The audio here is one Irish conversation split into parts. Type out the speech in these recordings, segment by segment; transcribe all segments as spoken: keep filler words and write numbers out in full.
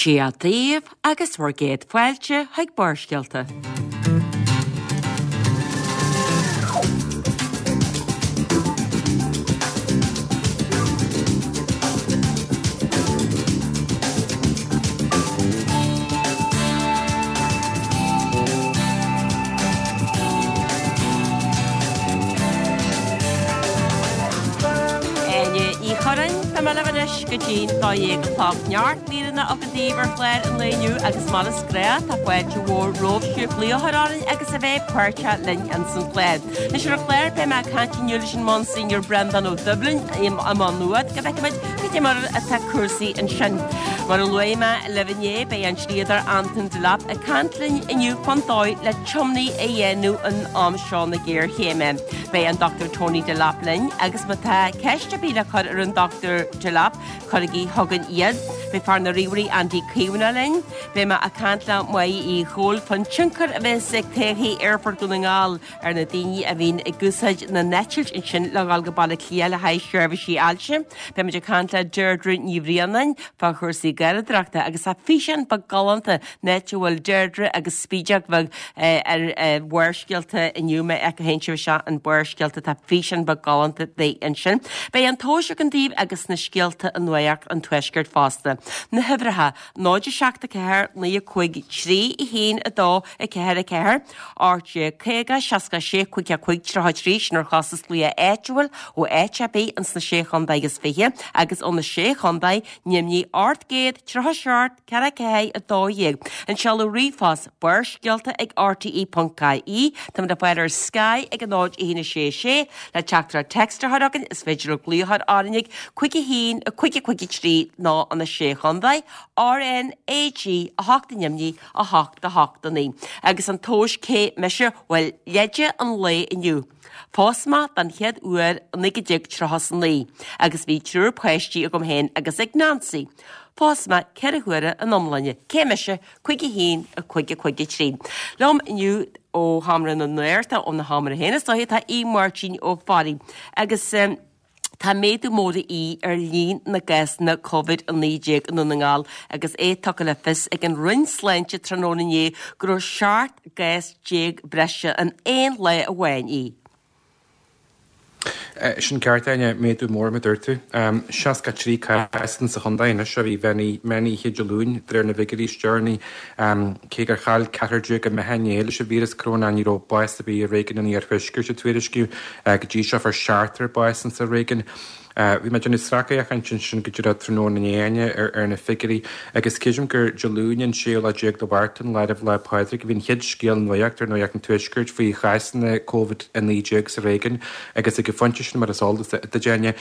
Dia daoibh agus bhur gcéad fáilte chuig Barrscéalta. Áine Ní Churráin, Tá mé libh anois go dtí'n dó dhéag a chlog. Neart míreanna againn daoibh ar chlár an lae inniu agus mar is gnách tá fáilte mhór romhaibh sibh glaoch a chur orainn agus a bheith páirteach linn ins an chlár. Anois ar an chlár beidh mé ag caint inniu leis an Monsignor Breandán Ó Doibhlin i Maigh Nuad go bhfeicfimid cad é mar atá cúrsaí ansin. Mar a luaigh mé libh inné beidh an dlíodóir Anton Delap ag caint linn inniu fán dóigh le tiomnaí a dhéanamh in am seo na géarchéime. Beidh an Dochtúir Tony Delap linn agus má tá ceist ar bith le cur ar an Dochtúir Delap, cuirigí chugainn iad. Beidh fear na ríomhairí Andy Caomhánach linn. Beidh mé ag caint le Máire Uí Chomhaill fán tionchar a bheas ag todhchaí Aerfort Dhún na nGall ar na daoine a bhíonn ag úsáid na n-eitilt ansin le dhul go Baile Átha Cliath le haghaidh seirbhísí ailse. Beidh muid ag caint le Deirdre Ní Bhraonáin fá chúrsaí garraíodóireachta agus tá físeán beag galánta in áit a bhfuil Deirdre agus Spídeog bheag ar Bharrscéalta inniu má fhéachann sibh isteach in Barrscéalta tá físeán beag galánta di ansin. Beidh an tomhas againn daoibh agus na scéalta i nuacht an tuaiscirt fosta. Na huimhreacha náid a seacht a ceathair naoi a cúig trí a haon a dó a ceathair a ceathair, ocht déag caoga seasca a sé cúig a cúig tríocha trí sin ar chostas glaoch áitiúil ó áit ar bith ins na sé chontae agus fiche agus ó na sé chontae ainmnigh ocht gcéad tríocha seacht ceathair ceathair a dó dhéag. An seoladh ríomhphost barrscéalta ag R T E ponc I E Táimid le fáil ar Sky ag a náid a haon a sé sé le teachtaireacht text a chur chugainn is féidir libh glaoch a chur orainn ag cúig a haon a cúig a cúig a trí nó an a sé chontae R N A G a hocht ainmnigh a hocht a hocht a naoi. Agus an tomhas cé mise bhuel leide an lae inniu. Phós mé den chéad uair naoi déag tríocha is a naoi, agus bhí triúr páistí agam féin agus ag Nancy. Phós mé ceithre huaire in iomláine, cé mise cúig a haon a cúig a cúig a trí. Liom inniu ó Sheomra na Nuachta óna sheomra féin is dóiche tá Aodh Máirtín Ó Fearraigh agus um, Tá méadú mór í ar líon na gcásanna Covid a naoi déag i nDún na nGall agus é tugtha le fios ag an Roinn Sláinte tráthnóna inné go raibh seacht gcás déag breise in aon lá amháin í. Sin ceart Áine, méadú mór mar a dúirt tú. Seasca trí cás sa chontae anois a bhí meán oíche Dé Luain de réir na bhfigiúirí is deireanaí. Cé gur chaill ceathrar déag a mbeatha inné leis an víreas coróna ní raibh bás ar bith i réigiún an Iarthuaiscirt a tuairiscíodh go dtí seo fuair seachtar bás insa réigiún. Bhí mé ag déanamh sracfhéachaint ansin go díreach tráthnóna inné Áine ar na figiúirí agus creidim gur Dé Luain an séú lá déag de Mhárta an lá roimh Lá Pádraig a bhí an chéad scéal nuachta ar Nuacht an Tuaiscirt faoi chásanna Covid a naoi déag sa réigiún agus ag an phointe sin mar is eol duit Áine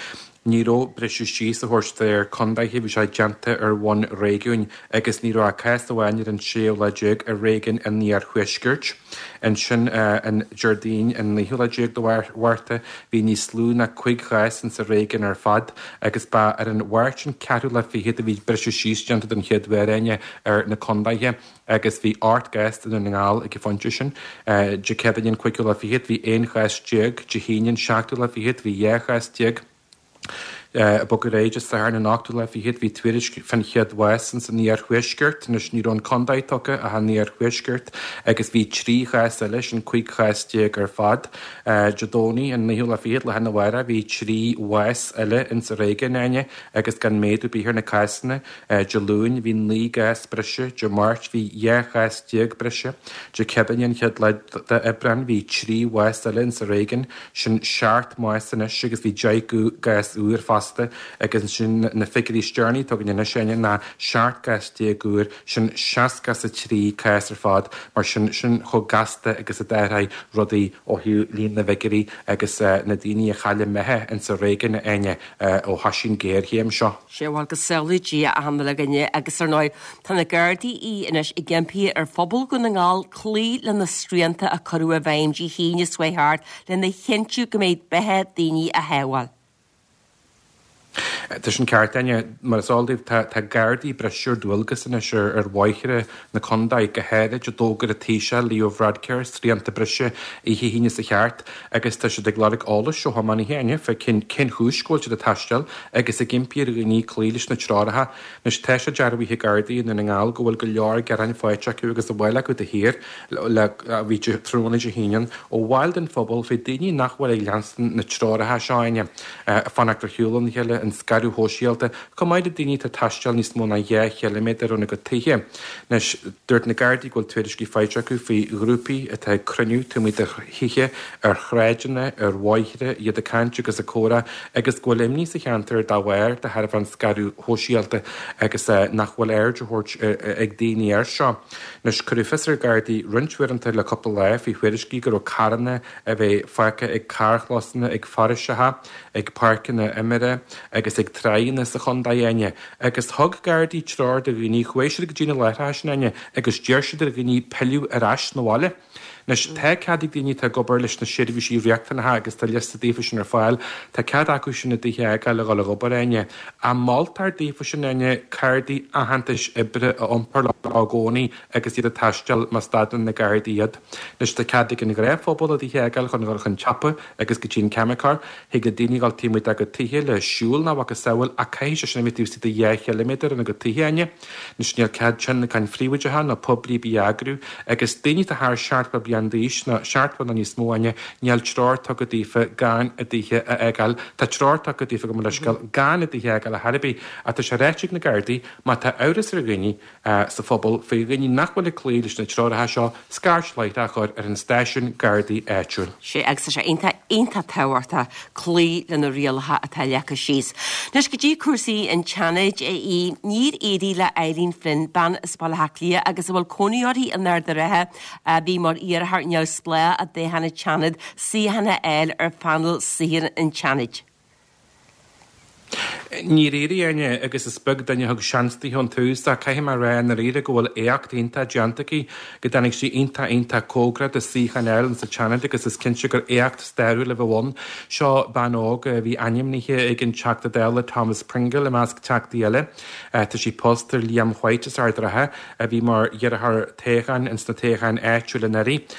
ní raibh briseadh síos á thabhairt de réir contaetha, bhí sé déanta ar bhonn réigiúin agus ní raibh ach cás amháin ar an séú lá déag i réigiún an Iarthuaiscirt. Ansin an Déardaoin an naoú lá déag de Mhárta bhí níos lú ná cúig chás insa réigiún ar fad agus ba ar an Mháirt an ceathrú lá fichead a bhí briseadh síos déanta den chéad uair Áine ar na contaetha agus bhí ocht gcás i nDún na nGall ag an phointe sin. Dé Céadaoine an cúigiú lá fichead bhí aon chás déag, Dé hAoine an seachtú lá fichead bhí dhá chás déag. Ag bogadh ar aghaidh Dé Sathairn an ochtú lá fichead bhí tuairisc fán chéad bhás ins an iarthuaisceart, anois ní raibh an contae tugtha ach an iarthuaisceart, agus bhí trí chás eile, sin cúig chás déag ar fad. Dé Domhnaigh an naoú lá fichead, lá arna mhárach, bhí trí bhás eile ins an réigiún, Áine, agus gan méadú ar bith ar na cásanna. Dé Luain bhí naoi gcás breise, Dé Máirt bhí dhá chás déag breise, Dé Céadaoine an chéad lá d'Aibreán bhí trí bhás eile ins an réigiún, Sin seacht mbás anois agus bhí deich gcás úr fosta agus ansin na figiúirí is deireanaí atá againn anois Áine ná seacht gcás déag úr, sin seasca is a trí cás ar fad. Mar sin, sin chomh gasta agus a d'athraigh rudaí ó thaobh líon na bhfigiúirí agus na daoine a chaill a mbeatha insa réigiún, Áine, ó thoisigh an ghéarchéim seo. Sea, bhuel, go sábhála Dia achan uile dhuine agus ar ndóigh tá na Gardaí anois ag impí ar phobal Dhún na nGall cloí le na srianta a cuireadh i bhfeidhm Dé hAoine seo chuaigh thart lena chinntiú go mbeidh beatha daoine á shábháil. Tá sin ceart, Áine. Mar is eol daoibh, tá tá Gardaí breise ar dualgas anois ar ar bhóithre na contae, go háirid a d'fhógair an Taoiseach Leo Varadkar srianta breise oíche hAoine seo thart agus tá siad ag lorg eolais ó thiománaithe, Áine, fá cén cén chúis go bhfuil siad ag taisteal agus ag impí ar dhaoine cloí leis na treoracha. Anois tá sé dearbhaithe ag Gardaí i nDún na nGall go bhfuil go leor gearáin faighte acu agus a bhfáil acu de shíor le bhí tráthnóna Dé hAoine ó bhaill den phobal faoi daoine nach bhfuil ag leanstan na treoracha seo, Áine, fanacht ar shiúl óna chéile, an scaradh shóisialta, chomh maith le daoine atá ag taisteal níos mó ná dhá chiliméadar óna gcuid tithe. Anois, dúirt na Gardaí go bhfuil tuairiscí faighte acu faoi ghrúpaí atá ag cruinniú taobh amuigh de thithe, ar shráideanna, ar bhóithre, iad ag caint agus ag comhrá agus go bhfuil imní sa cheantar dá bharr de thairbhe an scaradh shóisialta agus nach bhfuil aird á thabhairt ag daoine air seo. Anois, cuireadh fios ar Ghardaí roinnt uaireanta le cúpla lá faoi thuairiscí go raibh carranna a bheith fágtha ag carrchlósanna, ag foraoiseacha, ag páirceanna imeartha agus ag tráigheanna sa chontae, Áine. Agus thug Gardaí treoir do dhaoine, chuaigh siad go dtí na láithreacha sin, Áine, agus d'iarr siad ar dhaoine pilleadh ar ais 'na bhaile. Anois, tá cead ag daoine atá ag obair leis na seirbhísí riachtanacha agus tá liosta daofa sin ar fáil, tá cead acu sin a dtithe a fhágáil a dhul ag obair, Áine. Ach moltar daofa sin, Áine, cártaí aitheantais oibre a iompar leo i gcónaí agus iad ag taisteal má stadann na Gardaí iad. Anois, tá cead ag an ghnáthphobal a dtithe a fhágáil chun dhul chun tsiopa agus go dtí an ceimiceoir. Thig le daoine dhul taobh amuigh dá gcuid tithe le siúl nó a mhacasamhail ach caithfidh sé sin a bheith taobh istigh de dhá chiliméadar óna gcuid tithe, Áine. Anois, níl cead tionlacan phríobháideacha nó poiblí ar bith a eagrú agus daoine atá thar seachtó bliain d'aois nó seachtó nó níos mó, Áine, níl treoir tugtha daofa gan a dtithe a fhágáil. Tá treoir tugtha daofa, gabh mo leithscéal, gan a dtithe a fhágáil ar chor ar bith ach tá sé ráite ag na Gardaí má tá amhras ar dhaoine sa phobal faoi dhaoine nach bhfuil ag cloí leis na treoracha seo, scairt láithreach a chur ar an stáisiún Gardaí áitiúil. Sea, agus tá sé iontach, iontach tábhachtach cloí le na rialacha atá leagtha síos. Anois, go dtí cúrsaí an tSeanaid, a Aoidh, níor éirigh le Eileen Flynn, bean as Baile Átha Cliath agus a bhfuil cónaí uirthi in Ard an Rátha, a bhí mar iarrthóir neamhspleách i dtoghchán an tSeanaid, suíochán a fháil ar phainéal saothair an tSeanaid. Níor éirigh, Áine, agus is beag duine a thug seans di ón tús, ach caithfidh mé a rá i ndáiríre go bhfuil éacht iontach déanta aici, go dtáinig sí iontach iontach cóngarach do suíochán a fháil sa tSeanad agus is cinnte gur éacht stairiúil a bheadh ann. Seo bean óg a bhí ainmnithe ag an Teachta Dála Thomas Pringle i measc Teachtaí eile. Tá sí pósta ar Liam White as Ard an Rátha, a bhí mar iarrthóir toghcháin ins na toghcháin áitiúil anuraidh.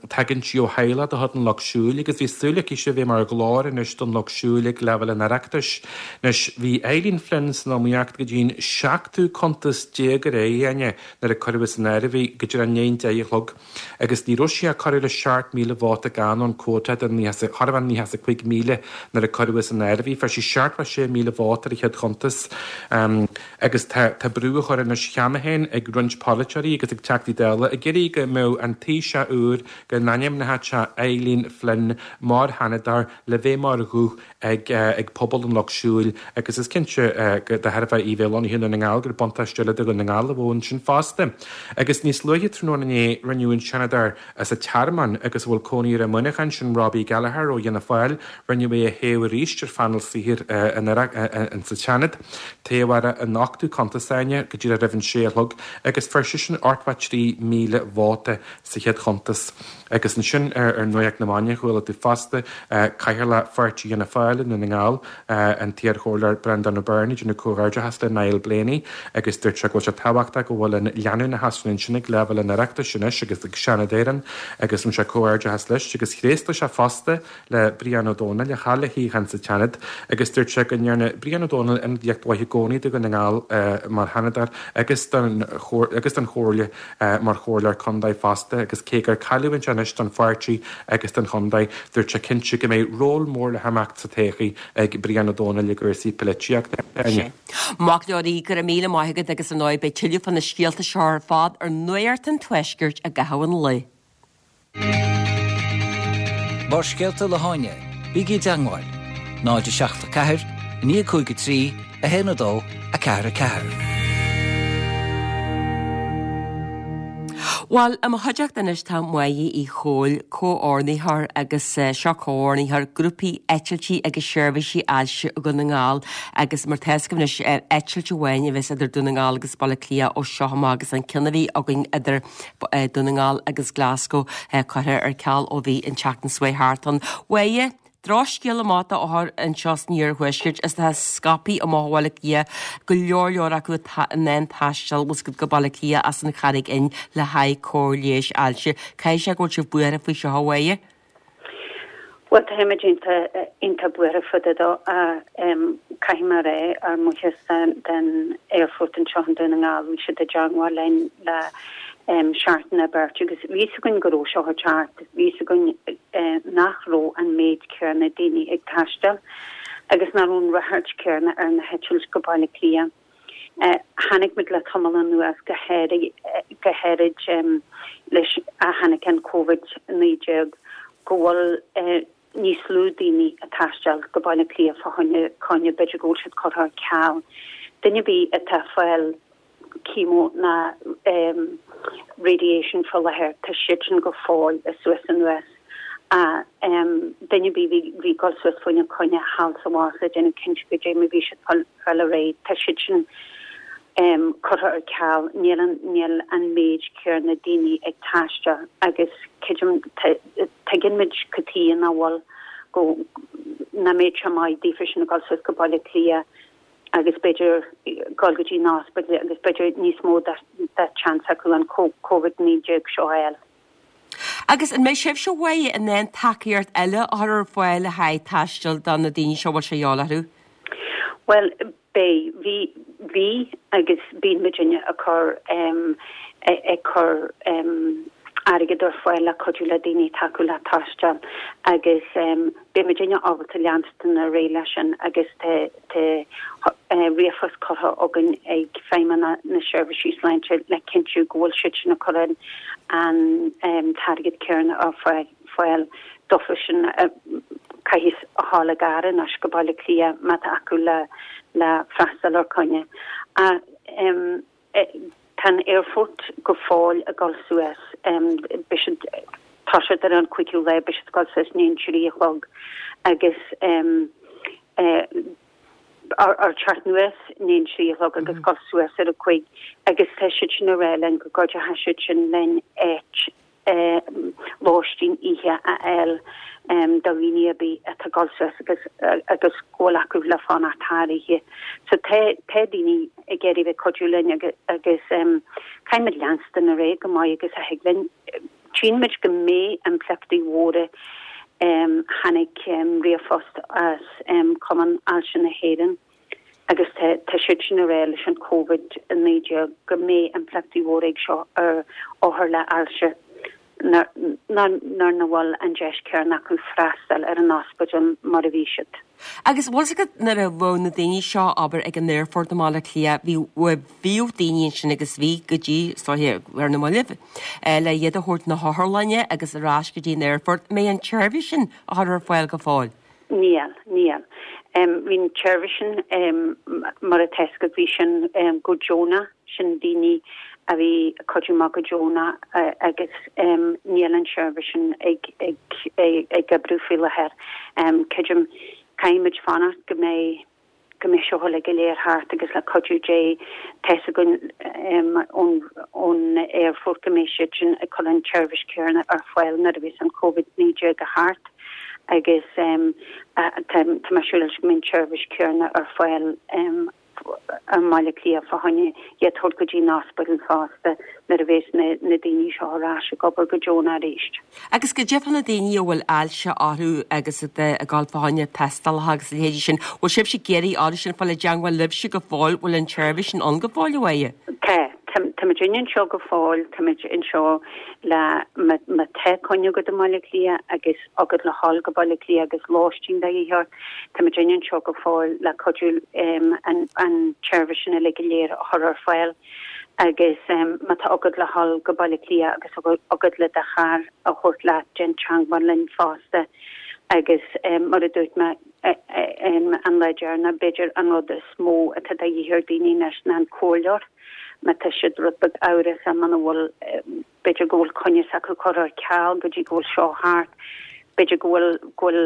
Tagann sí ó theaghlach de chuid an Lucht Siúil agus bhí súil aici a bheith mar ghlór anois don Lucht Siúil ag leibhéal an Oireachtais. Anois, bhí Eileen Flynn san iomaíocht go dtí'n seachtú cuntas déag ar aghaidh, Áine, nuair a cuireadh san áireamh í go díreach i ndiaidh an deich a chlog agus ní raibh sí ach corradh le seacht míle vóta gann ón quota de chóir a bheith nócha is a cúig míle nuair a cuireadh san áireamh í. Fuair sí seachtó sé míle vóta ar an chéad chuntas agus tá tá brú á chur anois cheana féin ag roinnt polaiteoirí agus ag Teachtaí Dála ag iarraidh go mbeadh an Taoiseach úr, go n-ainmneodh sé Eileen Flynn mar Sheanadóir le bheith mar ghuth ag ag pobal an Lucht Siúil agus is cinnte go de thairbhe í bheith lonnaithe i nDún na nGall gur buntáiste eile do Dhún na nGall a bheadh ansin fosta. Agus níos luaithe tráthnóna inné rinneadh an Seanadóir as an Tearmann agus a bhfuil cónaí air i Muineachán, sin Robbie Gallagher ó Fhianna Fáil, rinneadh é a thoghadh arís ar phainéal saothair an sa Seanad. Toghadh ar an ochtú cuntas, Áine, go díreach roimh an sé a chlog agus fuair seisean ochtó trí míle vóta sa chéad chuntas. Agus ansin ar Nuacht na Maidine chuala tú fosta Cathaoirleach Pháirtí Fhianna Fáil i nDún na nGall, an t-iarchomhairleoir Breandán Ó Beirn ag déanamh comhghairdeachas le Niall Blaney agus dúirt sé go bhfuil sé tábhachtach go bhfuil an leanúnachas sin ansin ag leibhéal an Oireachtais anois agus ag Seanad Éireann agus rinne sé comhghairdeachas leis agus thréaslaigh sé fosta le Brian Ó Domhnaill a chaill a shuíochán sa tSeanad agus dúirt sé go ndearna Brian Ó Domhnaill ionadaíocht mhaith i gcónaí do Dhún na nGall mar Sheanadóir agus don agus don Chomhairle mar Chomhairleoir Contae fosta agus cé gur cailliúint anois don pháirtí agus don chontae, dúirt sé cinnte go mbeidh ról mór le himeacht sa todhchaí ag Brian Ó Domhnaill i gcúrsaí polaitíochta. Sea. Maith go leor, go raibh míle maith agat agus ar ndóigh beidh tuilleadh fá na scéalta seo ar fad ar Nuacht an Tuaiscirt i gcaitheamh an lae. Barrscéalta le hÁine, bígí i dteagmháil, náid a seacht a ceathair, a naoi a cúig a trí, a haon a dó, a ceathair a ceathair. Bhuel, i mo chuideachta anois tá Máire Uí Chomhaill, comhordaitheoir agus seo comhordaitheoir grúpaí eitiltí agus seirbhísí ailse Dhún na nGall agus mar tá fhios agaibh anois eitilt amháin a bheas idir Dún na nGall agus Baile Átha Cliath ó seo amach agus an ceann a bhí againn idir Dún na nGall agus Glasgow curtha ar ceal ó bhí an tseachtain seo thart ann. Mháire, Drochscéal amach d'othair anseo san iarthuaisceart is tá scaipthe amach ó Bhaile Átha Cliath go leor leor acu atá in ann taisteal bhfuil 's agat go Baile Átha Cliath as an Charraig Fhinn le haghaidh cóir leighis ailse. Caithfidh sé go bhfuil sibh buartha faoi seo a Mháire? Bhuel tá muid iontach buartha fá dtaobh dó caithfidh mé a rá ár mbuíochas den aerfort anseo i nDún na nGall bhí siad i dteagmháil linn le seachtain nó beirt agus bhí 'fhios againn go raibh seo ag teacht, bhí 'fhios againn nach raibh an méid céanna daoine ag taisteal agus nach raibh an ráchairt céanna ar na heitilt go Baile Átha Cliath. Chonaic muid le tamall anuas go go háirid leis a tháinig an Covid naoi déag go bhfuil níos lú daoine ag taisteal go Baile Átha Cliath fá choinne coinne b'fhéidir go bhfuil siad curtha ar ceal. Duine ar bith atá ag fáil chemo ná radiation faoi láthair tá siad sin go fóill suas anuas. Duine ar bith bhí bhí ag dul suas fá choinne coinne thall is abhus le déanamh cinnte go dté mar bhí siad fáil ar aghaidh tá siad sin curtha ar ceal níl an níl an méid céanna daoine ag taisteal agus creidim tuigeann muid cad chuige nach bhfuil go nach mbeadh sé maith daofa sin ag dul suas go Baile Átha Cliath agus b'fhéidir dul go dtí an ospidéal agus b'fhéidir níos mó de chance acu an Covid naoi déag seo a fháil. Agus an mbeidh sibhse a Mháire in ann tacaíocht eile a chur ar fáil le haghaidh taisteal do na daoine seo a bhfuil sé de dhíobháil orthu? Bhuel, beidh. Bhí, bhí agus bíonn muidinne ag cur, ag cur airgead ar fáil le cuidiú le daoine tacú le taisteal agus beidh muidinne ábalta leanstan ar aghaidh leis sin agus tá ríomhphost curtha againn ag Feidhmeannacht na Seirbhísí Sláinte le cinntiú go bhfuil siad sin ag cur an t-airgead céanna ar fáil dófa sin a chaithfidh a ghabháil i gcarr anois go Baile Átha Cliath má tá acu le le freastal ar coinne. Tá an aerfort go fóill ag dul suas, beidh siad, tá siad ar an cúigiú lá, beidh siad ag dul suas i ndiaidh a trí a chlog agus ar teacht anuas i ndiaidh a trí a chlog agus dul suas ar a cúig agus tá siad sin ag rá linn go gcuideoidh siad sin linn áit lóistín oíche a fháil do dhaoine ar bith atá ag dul suas agus agus go bhfuil acu le fanacht thar oíche. So tá tá daoine ag iarraidh bheith cuidiú linn agus agus caithfidh muid leanstan ar aghaidh go maith agus a thig linn. Tchíonn muid go mbeidh impleachtaí mhóra tháinig ríomhphost as Cumann Ailse na hÉireann agus tá siad sin ag rá leis an Covid a naoi déag go mbeidh impleachtaí mhóra ag seo ar othair le ailse nuair nach bhfuil an deis céanna acu freastal ar an ospidéal mar a bhí siad. Agus bhfuil 's agat nuair a bheadh na daoine seo abair ag an aerfort i mBaile Átha Cliath bhí bhíodh daoine ansin agus bhí go dtí is dóiche ar na mallaibh le iad a thabhairt na hotharlainne agus ar ais go dtí an aerfort. An mbeidh an tseirbhís sin á chur ar fáil go fóill? Níl, níl. Bhí an tseirbhís sin mar atá 'fhios agat bhí sin go deonach, sin daoine a bhí ag cuidiú amach go deonach agus níl an tseirbhís sin ag ag ag oibriú faoi láthair. Creidim, caithfidh muid fanacht go mbeidh go mbeidh seo uilig go léir thart agus le cuidiú Dé tá 'fhios againn ón ón aerfort go mbeidh siad sin ag cur an tseirbhís céanna ar fáil nuair a bheas an Covid naoi déag thart agus tá tá mé siúr leis go mbeidh an tseirbhís céanna ar fáil i mBaile Átha Cliath fá choinne iad a thabhairt go dtí an ospidéal fosta nuair a bheas na na daoine seo ar ais ag obair go deonach arís. Agus goidé fá na daoine a bhfuil ailse orthu agus atá ag dul fá choinne tástálacha agus a leithéidí sin, bhfuil sibhse ag iarraidh orthu sin fáil i dteangmháil libhse go fóill, bhfuil an tseirbhís sin ann go fóill a Mháire? Tá, tá muid anseo go fóill, tá muid anseo le má tá coinne agat i mBaile Átha Cliath agus agat le dhul go Baile Átha Cliath agus lóistín de dhíth ort, tá muid anseo go fóill le cuidiú an an tseirbhís sin uilig go léir a chur ar fáil agus má tá agat le dhul go Baile Átha Cliath agus agat le do charr a thabhairt leat déan teangmháil linn fosta agus mar a dúirt mé an lá deireanach b'fhéidir an rud is mó atá de dhíth ar daoine anois ná an comhairleoir má tá siad rud beag amhrasach muna bhfuil b'fhéidir go bhfuil coinne s'acu curtha ar ceal go dtí go bhfuil seo thart b'fhéidir go bhfuil go bhfuil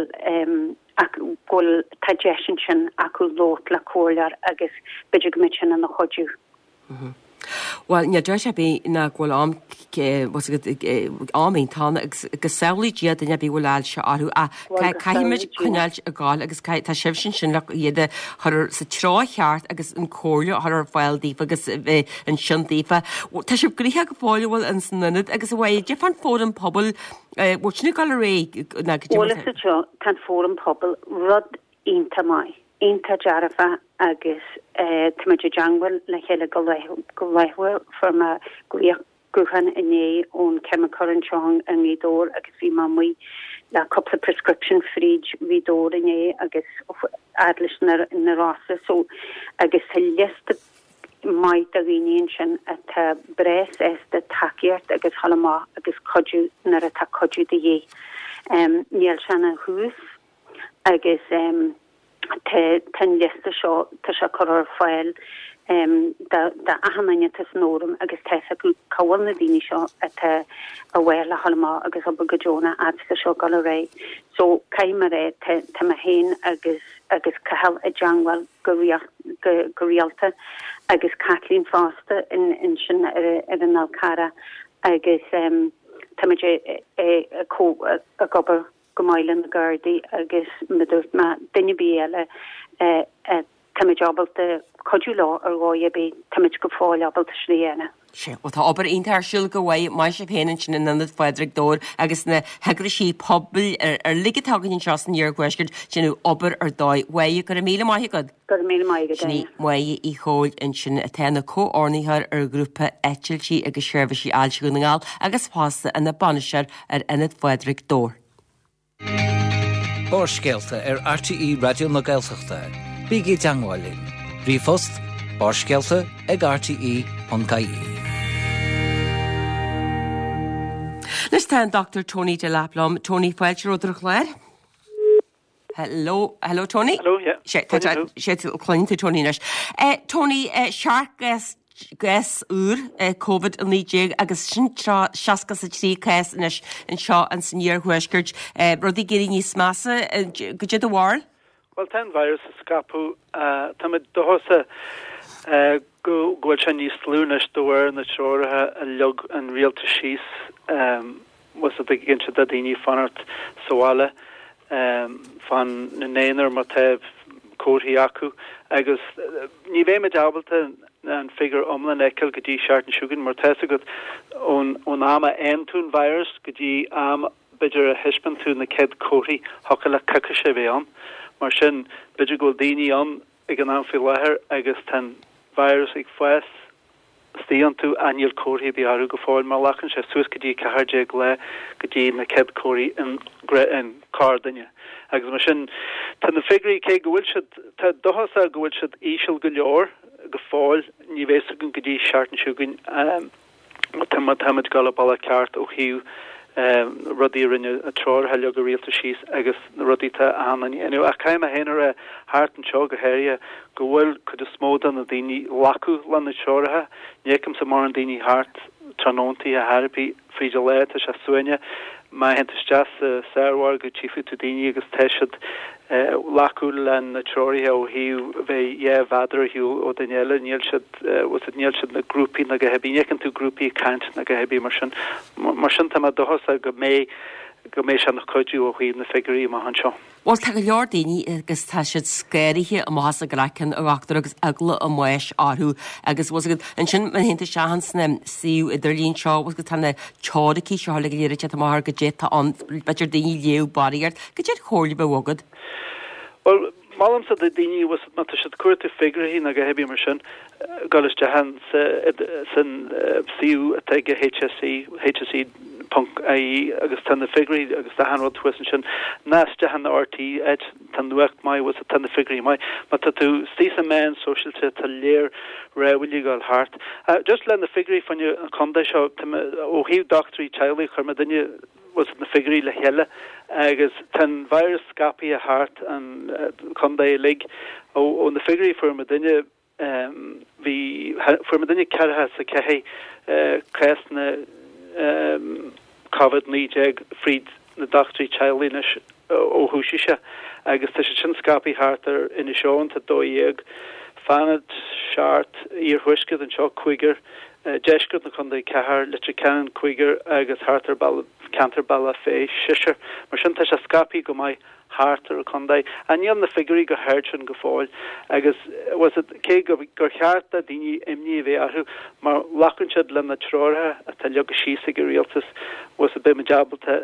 ach go bhfuil tá deis ansin acu labhairt le comhairleoir agus b'fhéidir go mbeidh sin ina chuidiú. Bhuel, níl dabht ar bith ná go bhfuil am, am iontach ann agus go samhlaí Dia duine ar bith a bhfuil ailse orthu ach caithfimid coinneáilt ag gabháil agus tá sibhse ansin le iad a chur sa treo cheart agus an comhairle a chur ar fáil daofa agus bheith ansin daofa. Tá sibh gnoitheach go fóill an bhfuil in san ionad agus a bhfuil cad é fán fóram pobail bhfuil sin ag dul ar aghaidh ná go Bhuel is seo tá an fóram pobail rud iontach maith, iontach dearfa agus táimid i dteangmháil le chéile go go laethúil fuair mé glaoch gutháin inné ón ceimiceoir anseo i nGaoth Dobhair agus bhí mé amuigh le cúpla prescription fríd Ghaoth Dobhair inné agus fhad leis na na Rosa so agus tá liosta maith de dhaoine ansin atá breá sásta tacaíocht agus dhul amach agus cuidiú nuair atá cuidiú de dhíth. Um, níl sé ina thús agus um, tá an liosta seo tá sé curtha ar fáil um, do achan duine atá san fhóram agus tá acu cá bhfuil na daoine seo atá a bhfuil le dhul amach agus obair go deonach fhad seo ag dul ar aghaidh. So caithfidh mé rá tá mé féin agus agus Cathal i dteangmháil go go, go rialta agus Kathleen fosta in, in sin ar, ar an Fhál Carrach agus um, táimid ag obair go maith le na Gardaí agus mar a dúirt mé duine ar bith eile táimid ábalta cuidiú leo ar dhóigh ar bith táimid go fóill ábalta sin a dhéanamh. Sé, Well tá obair iontach ar siúl go mhaith maith sibh féin ansin in Ionad Phádraig Dobhair agus na heagraisí pobail ar, ar uilig atá againn anseo san iarthuaisceart déanamh obair ar dóigh. Mhaith go raibh míle maith agat. Go raibh míle maith agat. Sin í Máire Uí Chomhaill ansin atá ina comhordaitheoir ar ghrúpa Eitiltí agus Seirbhísí Ailse Dhún na nGall agus fosta ina bainisteoir ar Ionad Phádraig Dobhair. Barrscéalta ar RTÉ Raidió na Gaeltachta. Bígí i dteangmháil linn. Ríomhphost barrscéalta ag RTÉ.ie. Anois tá an Dr. Tony Delap liom. Tony fáilte romhat ar an chlár. Hello, hello Tony. Hello, yeah. Sé sé cluin tú Tony anois. Eh, Tony, eh, seacht gcás gcás úr eh, COVID a naoi déag agus sin seasca is a trí cás anois anseo an san iarthuaisceart. Eh, rudaí ag éirí níos measa eh, cad é do bharúil? Well tá an virus ag scaipeadh uh, Tá dóchasach uh, go bhfuil sé níos lú anois de bharr na treoracha a leag an rialtas síos um, was a big inse da daoine fanacht sa bhaile um, fan ina n-aonar má tá comharthaí acu agus uh, ní bheimid ábalta an figiúr iomlán a fheiceáil go dtí seachtain seo chugainn mar tá agat ón ón am a fhaigheann tú an virus go dtí am b'fhéidir a thaispeánann tú na chéad chomharthaí thiocfadh le coicís a bheith ann mar sin b'fhéidir go bhfuil daoine ann ag an am faoi láthair agus tá an virus ag fás istigh iontu ach níl comharthaí ar bith orthu go fóill mar glacann sé suas go dtí ceathair déag lá go dtí na chéad chomharthaí in in corrdhuine. Agus mar sin tá na figiúirí cé go bhfuil siad tá dóchasach go bhfuil siad íseal go leor go fóill ní bheidh go dtí seachtain seo chugainn um, tá táimid ag dul an bealach ceart ó thaobh um, rudaí rinne a treoracha a leag an rialtas síos agus na rudaí tá an inniu ach caithfidh mé féin a rá thart anseo go háirithe go bhfuil cuid is mó de na daoine ag glacadh le na treoracha ní fheicimse mórán daoine thart tráthnóntaí a therapy fríd an lá tá sé suaimhneach má théann tú isteach sa sármhargadh tchífidh tú daoine agus tá siad ag glacadh le na treoracha ó thaobh bheith dhá mhéadar ar shiúl ó duine eile níl siad níl siad na grúpaí na go hebí ní fheiceann tú grúpaí caint na go hebí mar sin mar sin tá mé dóchasach go mbeidh go mbeidh sé ina chuidiú ó thaobh na figiúirí amach anseo. Well tá go leor daoine agus tá siad scanraithe amach as a gcraiceann a dhochtúir agus eagla a mbáis orthu agus was agat ansin má théann tú isteach sna suíomh idirlín seo was go tá na teoiricí seo le go léir te mar go dté an b'fhéidir daoine léamh barraíocht cad é an chomhairle a bheadh agat. Well molaimse do daoine was má tá siad ag cuartú figiúirí na go hebí mar sin dul isteach san suíomh atá ag HSE HSE ponc IE agus tá na figiúirí agus tá an rud thuas ansin ná isteach an RTÉ áit tá nuacht maith was tá na figiúirí maith má tá tú istigh sna meáin sóisialta tá léir réhfuil gáil thart. Uh, just le na figiúirí faoin chontae seo ó thaobh dochtúirí teaghlaigh chuir muid duine was na figiúirí le chéile agus tá an virus scaipthe thart an chontae uilig ó ó na figiúirí fuair muid duine um, bhí fuair muid duine ceathracha is a ceathair uh, cásanna um, COVID naoi déag fríd na dochtúirí teaghlaigh anois ó thosaigh sé agus tá sé sin scaipthe thart ar Inis Eoghain tá dó dhéag Fanad seacht, iarthuaisceart anseo cúigear, deisceart na contae ceathrar, Leitir Ceanainn cúigear agus thart ar ceantar Bealach Féich seisear. Mar sin tá sé scaipthe go maith thart ar an chontae. Ach níl na figiúirí go hard sin go fóill agus bhfuil a fhios agat cé gur cheart do daoine imní a bheith orthu má ghlacann siad le na treoracha atá leagtha síos ag an rialtas bhfuil a fhios agat beidh muid ábalta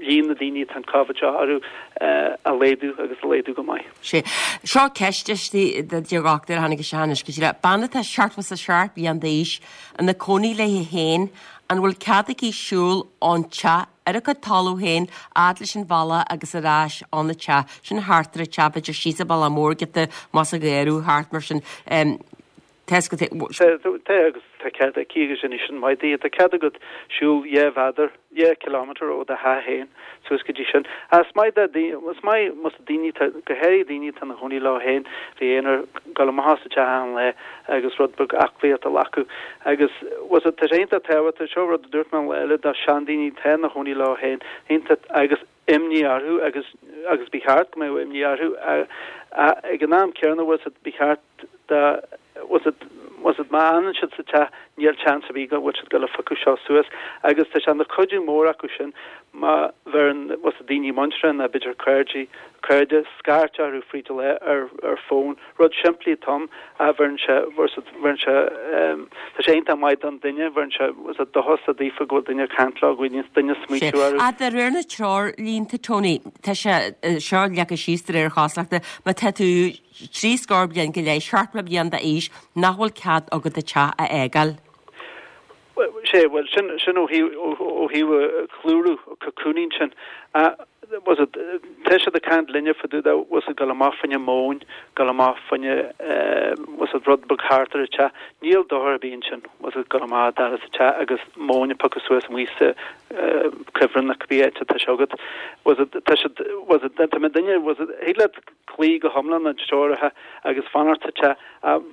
líon na daoine atá an Covid seo orthu a laghdú agus a laghdú go maith. Sé. Seo ceist istigh de dhochtúir a tháinig isteach anois go díreach. Bean atá seachtó is a seacht bliain d'aois ina cónaí léi féin, an bhfuil cead aici siúl ón teach ar a cuid talamh féin fhad leis an bhealach agus ar ais ón teach, sin thart ar an teach, b'fhéidir síos an bealach mór giota más a ghéarú thart mar sin. Tá Tá agus tá cead aici agus sin sin maith di, tá cead agat siúl dhá mhéadar, dhá kilometre ó do theach féin suas go dtí sin. Is maith is maith más daoine go háirithe daoine atá ina gcónaí leo féin bheith aonair dul amach as an teach achan lá agus rud beag aclaíocht a ghlacadh. Agus was tá sé iontach tábhachtach seo rud a dúirt mé an lá eile do seandaoine atá ina gcónaí leo féin iontach agus imní orthu agus agus ba cheart go mbeadh imní orthu ag an am céanna was ba cheart do was it was it má fhanann siad sa teach níl seans ar bith go bhfuil siad ag dul a phiocadh seo suas agus tá sé ina chuidiú mór acu sin má bheireann was it daoine muinteartha nó b'fhéidir cairde cairde scairt orthu fríd an lá ar ar fón rud simplí atá ann a bheireann sé was it bheireann sé um, tá sé iontach maith don duine bheireann sé was it dóchas daofa go bhfuil duine ag caint leo go bhfuil duine ag smaointiú orthu. A de réir na treoirlínte Tony, tá sé seo leagtha síos de réir cosúlachta má tá tú trí scór bliain go leith seachtó bliain d'aois nach bhfuil cead agat an teach a fhágáil. sé well sin sin ó ó thaobh clárú cocooning sin was it tá siad ag caint linne fá dtaobh was it dul amach fá choinne móin dul amach fá choinne was it rud beag thart ar an teach níl dochar ar bith ansin was it dul amach dar sa teach agus móin a phiocadh suas amuigh sa cuibhreann na cibé áit atá sé agat was it tá siad was it tá duine was it thig leat cloí go hiomlán na treoracha agus fanacht sa teach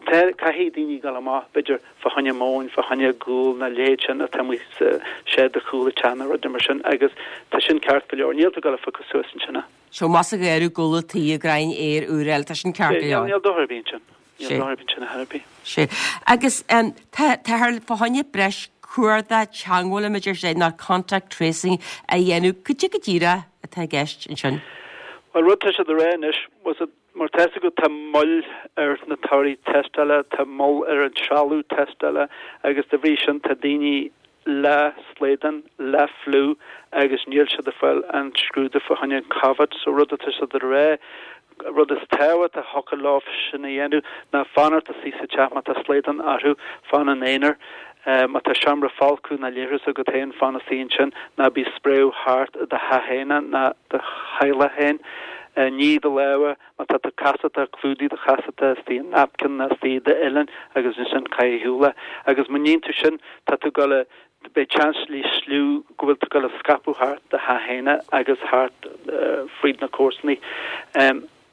caithfidh daoine dul amach b'fhéidir fá choinne móin fá choinne gual na leithéid sin atá amuigh sa seid chúl an teach nó rud mar sin agus tá sin ceart go leor níl tú ag dul a phiocadh suas ansin. So más ag éirí gula tí a grain air úr eile tá sin ceart go leor. Níl dochar ar bith ansin. Níl dochar ar bith ansin a thar bith. Sé. Agus tá thar fá choinne breis cuardach teagmhála idir sé ná contact tracing a dhéanamh cad é go díreach atá i gceist ansin. Well rud tá siad a rá anois was it mar tá a fhios agat tá moill ar na torthaí tástála, tá moill ar an trealamh tástála agus de bhrí sin tá daoine le slaghdán, le fliú agus níl siad ag fáil an scrúdú fá choinne an Covid, so rud atá siad a rá rud is tábhacht a thiocfadh leo sin a dhéanamh ná fanacht istigh sa teach má tá slaghdán orthu fan in aonar. Má tá seomra folctha ná leithreas agat féin fan istigh ansin ná bí ag spréadh thart i do theach féin ná do theaghlach féin. Nigh do lámha má tá tú casachta clúdaigh do chasachta istigh i napkin nó istigh i d'uillinn agus ansin caith ar shiúl é. Agus má níonn tú sin tá tú ag dul a beidh seans níos lú go bhfuil tú ag dul a scaipeadh thart do theach féin agus thart fríd na comharsanaí.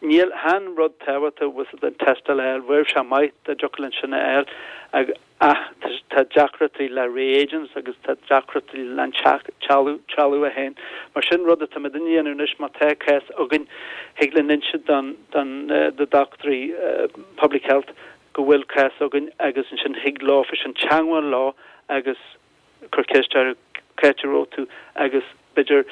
Níl chan rud tábhachtach was it an tástáil a fháil, bheadh sé maith dá dtiocfadh linn sin a fháil ach tá deacrachtaí le reagents agus tá deacrachtaí le an trealamh trealamh é féin. Mar sin rud atá muid a dhéanamh anois má tá cás againn thig linn inse don don do dochtúirí public health go bhfuil cás againn agus ansin thig leofa sin teagmháil leo agus cur ceist orthu cá háit a raibh tú agus b'fhéidir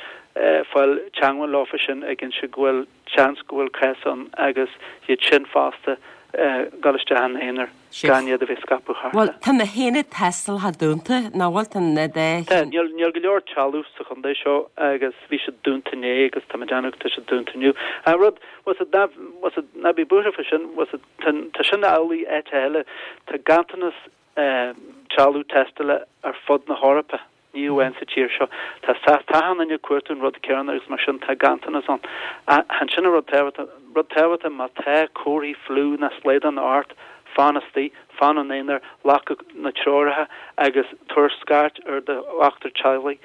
fáil teagmháil leofa sin ag inse go bhfuil seans go bhfuil cás ann agus iad sin fosta dul isteach in aonar gan iad a bheith scaipeadh thart. Bhuel, tá na haonaid tástála dúnta, nach bhfuil tá na Tá, níl níl go leor trealamh sa chontae seo agus bhí siad dúnta inné agus tá mé ag déanamh tá siad dúnta inniu. An rud was it ná was it ná bí buartha faoi sin was it tá tá sin amhlaidh áit eile tá ganntanas trealamh tástála ar fud na hEorpa. Ní amháin sa tír seo. Tá tá achan duine ag cuartú an rud céanna agus mar sin tá ganntanas ann. Ansin an rud tábhachtach rud tábhachtach má tá comharthaí fliú ná slaghdán ort, fan istigh, fan in aonar, glac na treoracha agus tabhair scairt ar do dhochtúir teaghlaigh.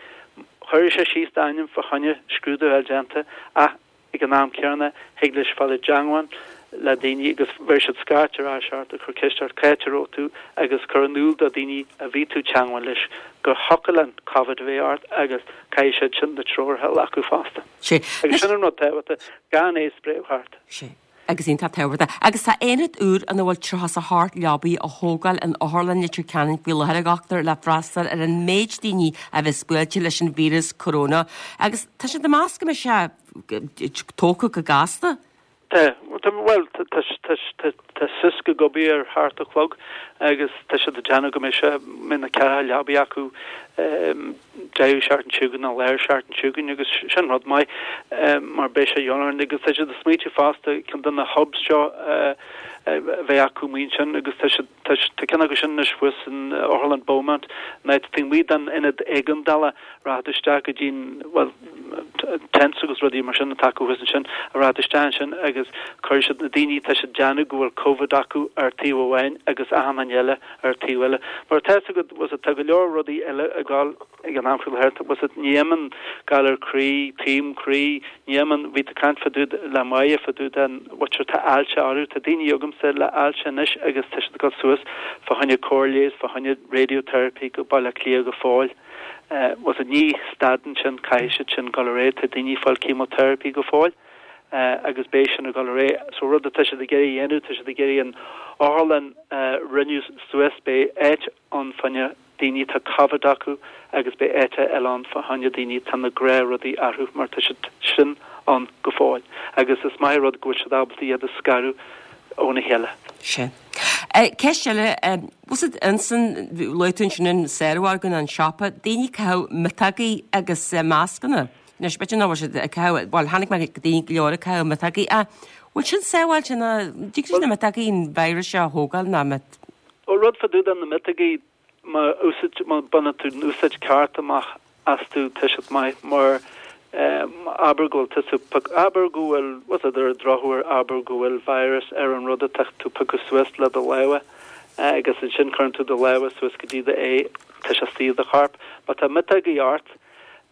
Cuirfidh sé síos d'ainm fá choinne scrúdú a fháil déanta ach ag an am céanna thig leis fáil i dteagmháil le daoine agus bheir siad scairt ar ais ort ag cur ceist ort cá háit a raibh tú agus cur in iúl do dhaoine a bhí tú teagmháil leis gur thiocfadh le Covid a bheith ort agus caithfidh siad sin na treoracha a ghlacadh fosta. Sé. Agus sin an rud tábhachtach gan é spréadh thart. Sé. Agus iontach tábhachtach. Agus tá aonad úr ina bhfuil tríocha is a hocht leabaidh á thógáil in Otharlann Leitir Ceanainn faoi láthair a dhochtúir le freastal ar an méid daoine a bheas buailte leis an víreas corona. Agus tá siad ag meas go mbeidh sé tógtha go gasta. Tá, bhuel, tá suas go gobaí ar thart a chlog agus tá siad ag déanamh go mbeidh sé, mbeidh na ceathracha leabaí acu deireadh seachtain seo chugainn nó lár seachtain seo chugainn agus sin rud maith mar beidh sé ionann agus tá siad ag smaoitiú fosta ceann de na hubs seo a bheith acu amuigh ansin agus tá siad, tá ceann acu sin anois thuas in Otharlann Beaumont, an áit taobh amuigh den ionad éigeandála, rachaidh tú isteach go dtí an, bhuel, tents agus rudaí mar sin atá acu thuas ansin, a rachaidh tú isteach ansin agus cuirfidh siad na daoine tá siad déanamh go bhfuil Covid acu ar taobh amháin agus achan duine eile ar taobh eile. Mar tá fhios agat, bhfuil tá go leor rudaí eile ag gabháil ag an am faoi láthair, bhfuil fhios agat, ní amháin galar croí, taom croí, ní amháin, bhí tú ag caint fá dtaobh le Máire fá dtaobh den bhutcher, tá ailse orthu, tá daoine agamsa le ailse anois agus tá siad ag dul suas fá choinne cóir leighis, fá choinne radiotherapy go Baile Átha Cliath go fóill. Bhfuil fhios agat, ní stadann sin, caithfidh siad sin dul ar aghaidh, tá daoine ag fáil chemotherapy go fóill agus beidh sin ag dul ar aghaidh. So rud atá siad ag iarraidh a dhéanamh, tá siad ag iarraidh an otharlann a rinneadh suas, beidh áit ann fá choinne daoine atá Covid acu agus beidh áit eile ann fá choinne daoine atá na gnáthrudaí orthu mar tá siad sin ann go fóill. Agus is maith an rud go bhfuil siad ábalta iad a scaradh óna chéile. Sin. Ceist eile, bhfuil fhios agat ansan, luaigh tú ansin an saormhargadh nó an siopa, daoine ag caitheamh miotógaí agus mascanna. Anois, b'fhéidir nach bhfuil siad ag caitheamh, bhuel, chonaic mé daoine go leor ag caitheamh miotógaí ach bhfuil sin sábháilte nó dtig leis na miotógaí an virus seo a thógáil nó mit? Ó, rud fá dtaobh de na miotógaí, má úsáid, má baineann tú an úsáid ceart amach astu tá siad maith mar abair go bhfuil tusa abair go bhfuil bhfuil fhios agat ar an drochuair abair go bhfuil virus ar an rud atá tú piocadh suas le do lámha agus ansin cuireann tú do lámha suas go dtí do aghaidh tá sé istigh i do chorp má tá miotógaí ort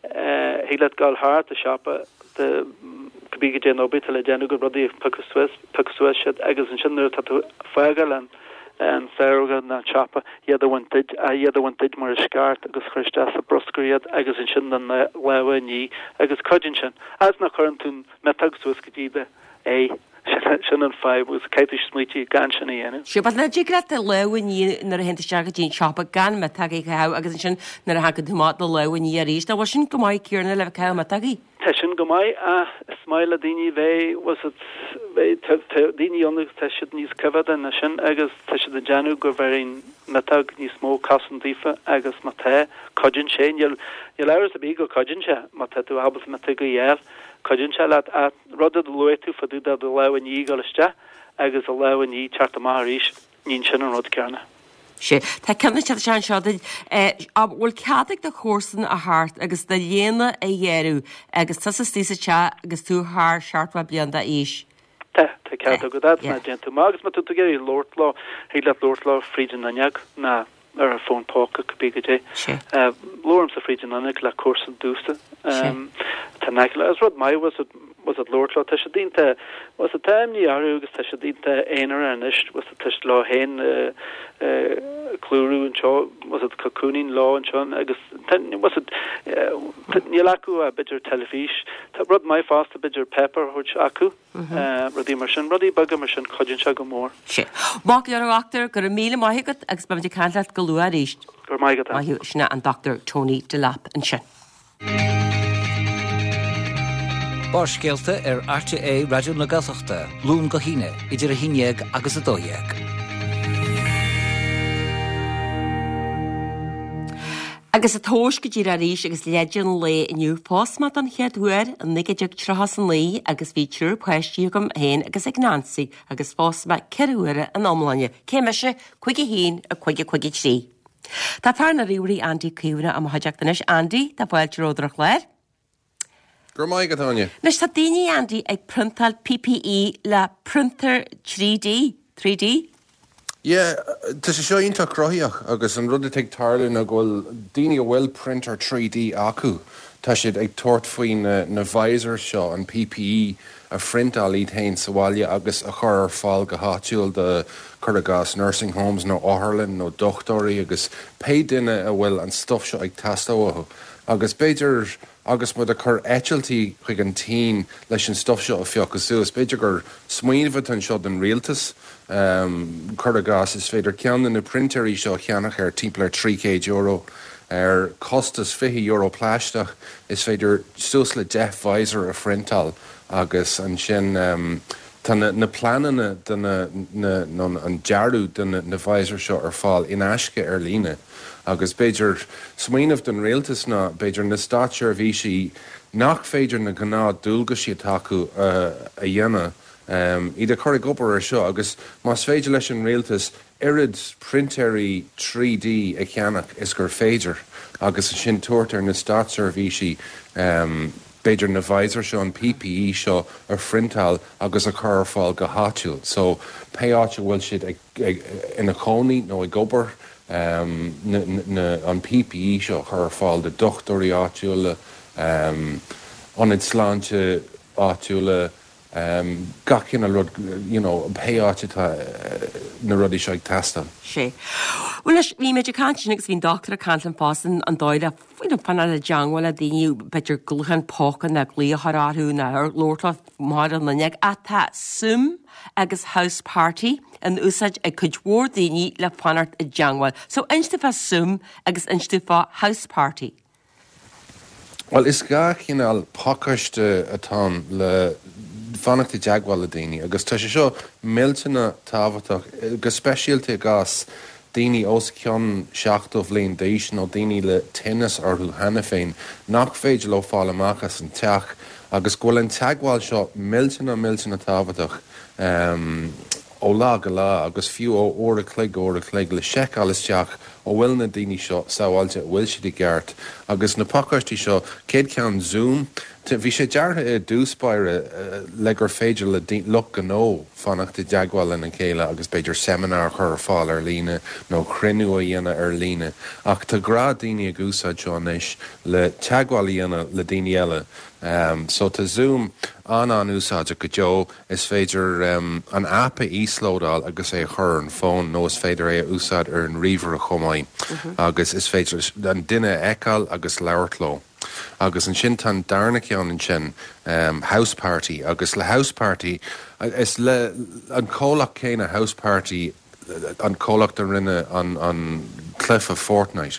thig leat dul thart an siopa de cibé goidé an obair atá le déanamh agat rudaí a piocadh suas piocadh suas siad agus ansin nuair atá tú ag fágáil an an saormhargadh nó an siopa, iad a bhaint duit, iad a bhaint duit mar is ceart agus chur isteach sa bruscar iad agus ansin do lámha a ní agus cuidíonn sin. Fhad is nach cuireann tú an miotóg suas go dtí do aghaidh, sin an fadhb agus caithfidh tú smaoitiú gan sin a dhéanamh. Sea, but dtig leat do lámha a ní nuair a théann tú isteach go dtí an siopa gan miotógaí a chaitheamh agus ansin nuair a thagann tú amach do lámha a ní arís. An bhfuil sin go maith Ciarán le bheith ag caitheamh miotógaí? Tá sin go maith ach is maith le daoine bheith, bhfuil fhios agat, bheith, tá, tá daoine ann agus tá siad níos coimheádaí ná sin agus tá siad ag déanamh go bhfeireann miotóg níos mó cosaint daofa agus má tá, cuidíonn sé, níl, níl amhras ar bith go cuidíonn sé má tá tú ábalta miotógaí a fháil, cuidíonn sé leat ach rud a luaigh tú fá dtaobh de do lámh a ní ag dul isteach agus do lámh a ní teacht amach arís, ní sin an rud céanna. Sea. Tá ceann ag teacht isteach anseo duit. An bhfuil cead ag do chomharsan a theacht agus do léine a ghearradh agus tusa istigh sa teach agus tú thar seachtó bliain d'aois? Tá, tá cead agat fhad is nach dtéann tú amach agus má tá tú ag iarraidh labhairt leo, thig leat labhairt leo fríd an fhuinneog ná ar an bhfón póca, cibé goidé. Labhraímse fríd an fhuinneog le comharsan domhsa. Tá in aice le, is rud maith, bhfuil fhios agat, bhfuil fhios agat labhairt leo, tá siad iontach, bhfuil fhios agat, tá imní orthu agus tá siad iontach aonarach anois, bhfuil fhios agat, tá siad leo féin clúrú anseo, bhfuil fhios agat, cocooning leo anseo agus tá, bhfuil fhios agat, níl acu ach b'fhéidir teilifís, tá rud maith fosta b'fhéidir páipéar a thabhairt acu, rudaí mar sin, rudaí beaga mar sin, cuidíonn sé go mór. Sea. Maith go leor a dhochtúir, go raibh míle maith agat agus beimid ag caint leat go luath arís. Go raibh maith agat. Maith thú, sin é an Dochtúir Tony Delap ansin. Barrscéalta ar RTÉ Raidió na Gaeltachta, Luan go hAoine, idir a haon déag agus a dó dhéag. Agus ag tomhas go díreach arís agus leide an lae inniu, phós mé don chéad uair i naoi déag tríocha is a naoi agus bhí triúr páistí agam féin agus ag Nancy agus phós mé ceithre huaire in iomláine. Cé mise? Cúig a haon, a cúig a cúig a trí. Tá fear na ríomhairí Andy Caomhánach i mo chuideachta anois. Andy, tá fáilte romhat ar an chlár. Go raibh maith agat, Áine. Anois tá daoine, Andy, ag priontáil PPE le priontar trí D, three D. Yeah, tá sé seo iontach cruthaitheach agus an rud atá ag tarlú ná go bhfuil daoine a bhfuil printer trí D acu, tá siad ag tabhairt faoi na na visors seo, an PPE, a phriontáil iad féin sa bhaile agus a chur ar fáil go háitiúil do, cuir i gcás, nursing homes nó otharlann nó dochtúirí agus pé duine a bhfuil an stuff seo ag teastáil uathu. Agus b'fhéidir agus muid ag cur eitiltí chuig an tSín leis an stuff seo a phiocadh suas. B'fhéidir gur smaoineamh atá anseo don rialtas, cuir i gcás, is féidir ceann de na printéirí seo a cheannach ar timpeall ar trí chéad euro. Ar costas fiche euro plaisteach, is féidir suas le deich visor a phriontáil agus ansin tá na pleananna de na, nó an dearadh de na visor seo ar fáil in aisce ar líne. Agus b'fhéidir smaoineamh don rialtas ná b'fhéidir na státseirbhísí nach féidir na gnáth-dualgaisí atá acu a dhéanamh, iad a chur ag obair ar seo agus más féidir leis an rialtas oiread printéirí trí D a cheannach is gur féidir agus ansin tabhairt ar na státseirbhísí b'fhéidir na visor seo, an P P E seo a phriontáil agus a chur ar fáil go háitiúil. So pé áit a bhfuil siad ina chónaí nó ag obair, an P P E seo a chur ar fáil do dochtúirí áitiúla, ionaid sláinte áitiúla, gach cineál rud, you know, pé áit atá na rudaí seo ag teastáil. Sé. Bhuel anois, bhí muid ag caint sin agus bhí an dochtúir ag caint linn fosta an dóigh le you know, fanacht i dteangmháil le daoine, b'fhéidir gutháin póca nó glaoch a chur orthu nó labhairt leo mar an linne ach tá Zoom agus House Party in úsáid ag cuid mhór daoine le fanacht i dteangmháil. So inis dúinn fá Zoom agus inis dúinn fá House Party. Bhuel, is dhá chineál pacáiste atá ann le fanacht i dteagmháil le daoine agus tá sé seo millteanach tábhachtach, go speisialta i gcás daoine os cionn seachtó bhliain d'aois nó daoine le tinneas orthu cheana féin nach féidir leo fáil amach as an teach agus go bhfuil an teagmháil seo millteanach millteanach tábhachtach ó lá go lá agus fiú ó uair a chloig go uair a chloig le seiceáil isteach an bhfuil na daoine seo sábháilte, an bhfuil siad i gceart. Agus na pacáistí seo, céad ceann Zoom, bhí sé deartha i dtús báire le gur féidir le lucht gnó fanacht i dteagmháil lena chéile agus b'fhéidir seimineár a chur ar fáil ar líne nó cruinniú a dhéanamh ar líne. Ach tá gnáthdhaoine ag úsáid seo anois le teagmháil a dhéanamh le daoine eile. Um, so tá Zoom an-an-úsáideach go deo. Is féidir um, an app a íoslódáil agus é a chur ar an bhfón nó is féidir é a úsáid ar an ríomhaire chomh maith. Mm -hmm. Agus is féidir an duine a fheiceáil agus labhairt leo. Agus ansin tá an darna ceann ansin um, House Party agus le House Party is le an comhlacht céanna House Party an comhlacht a rinne an, an cluiche Fortnite.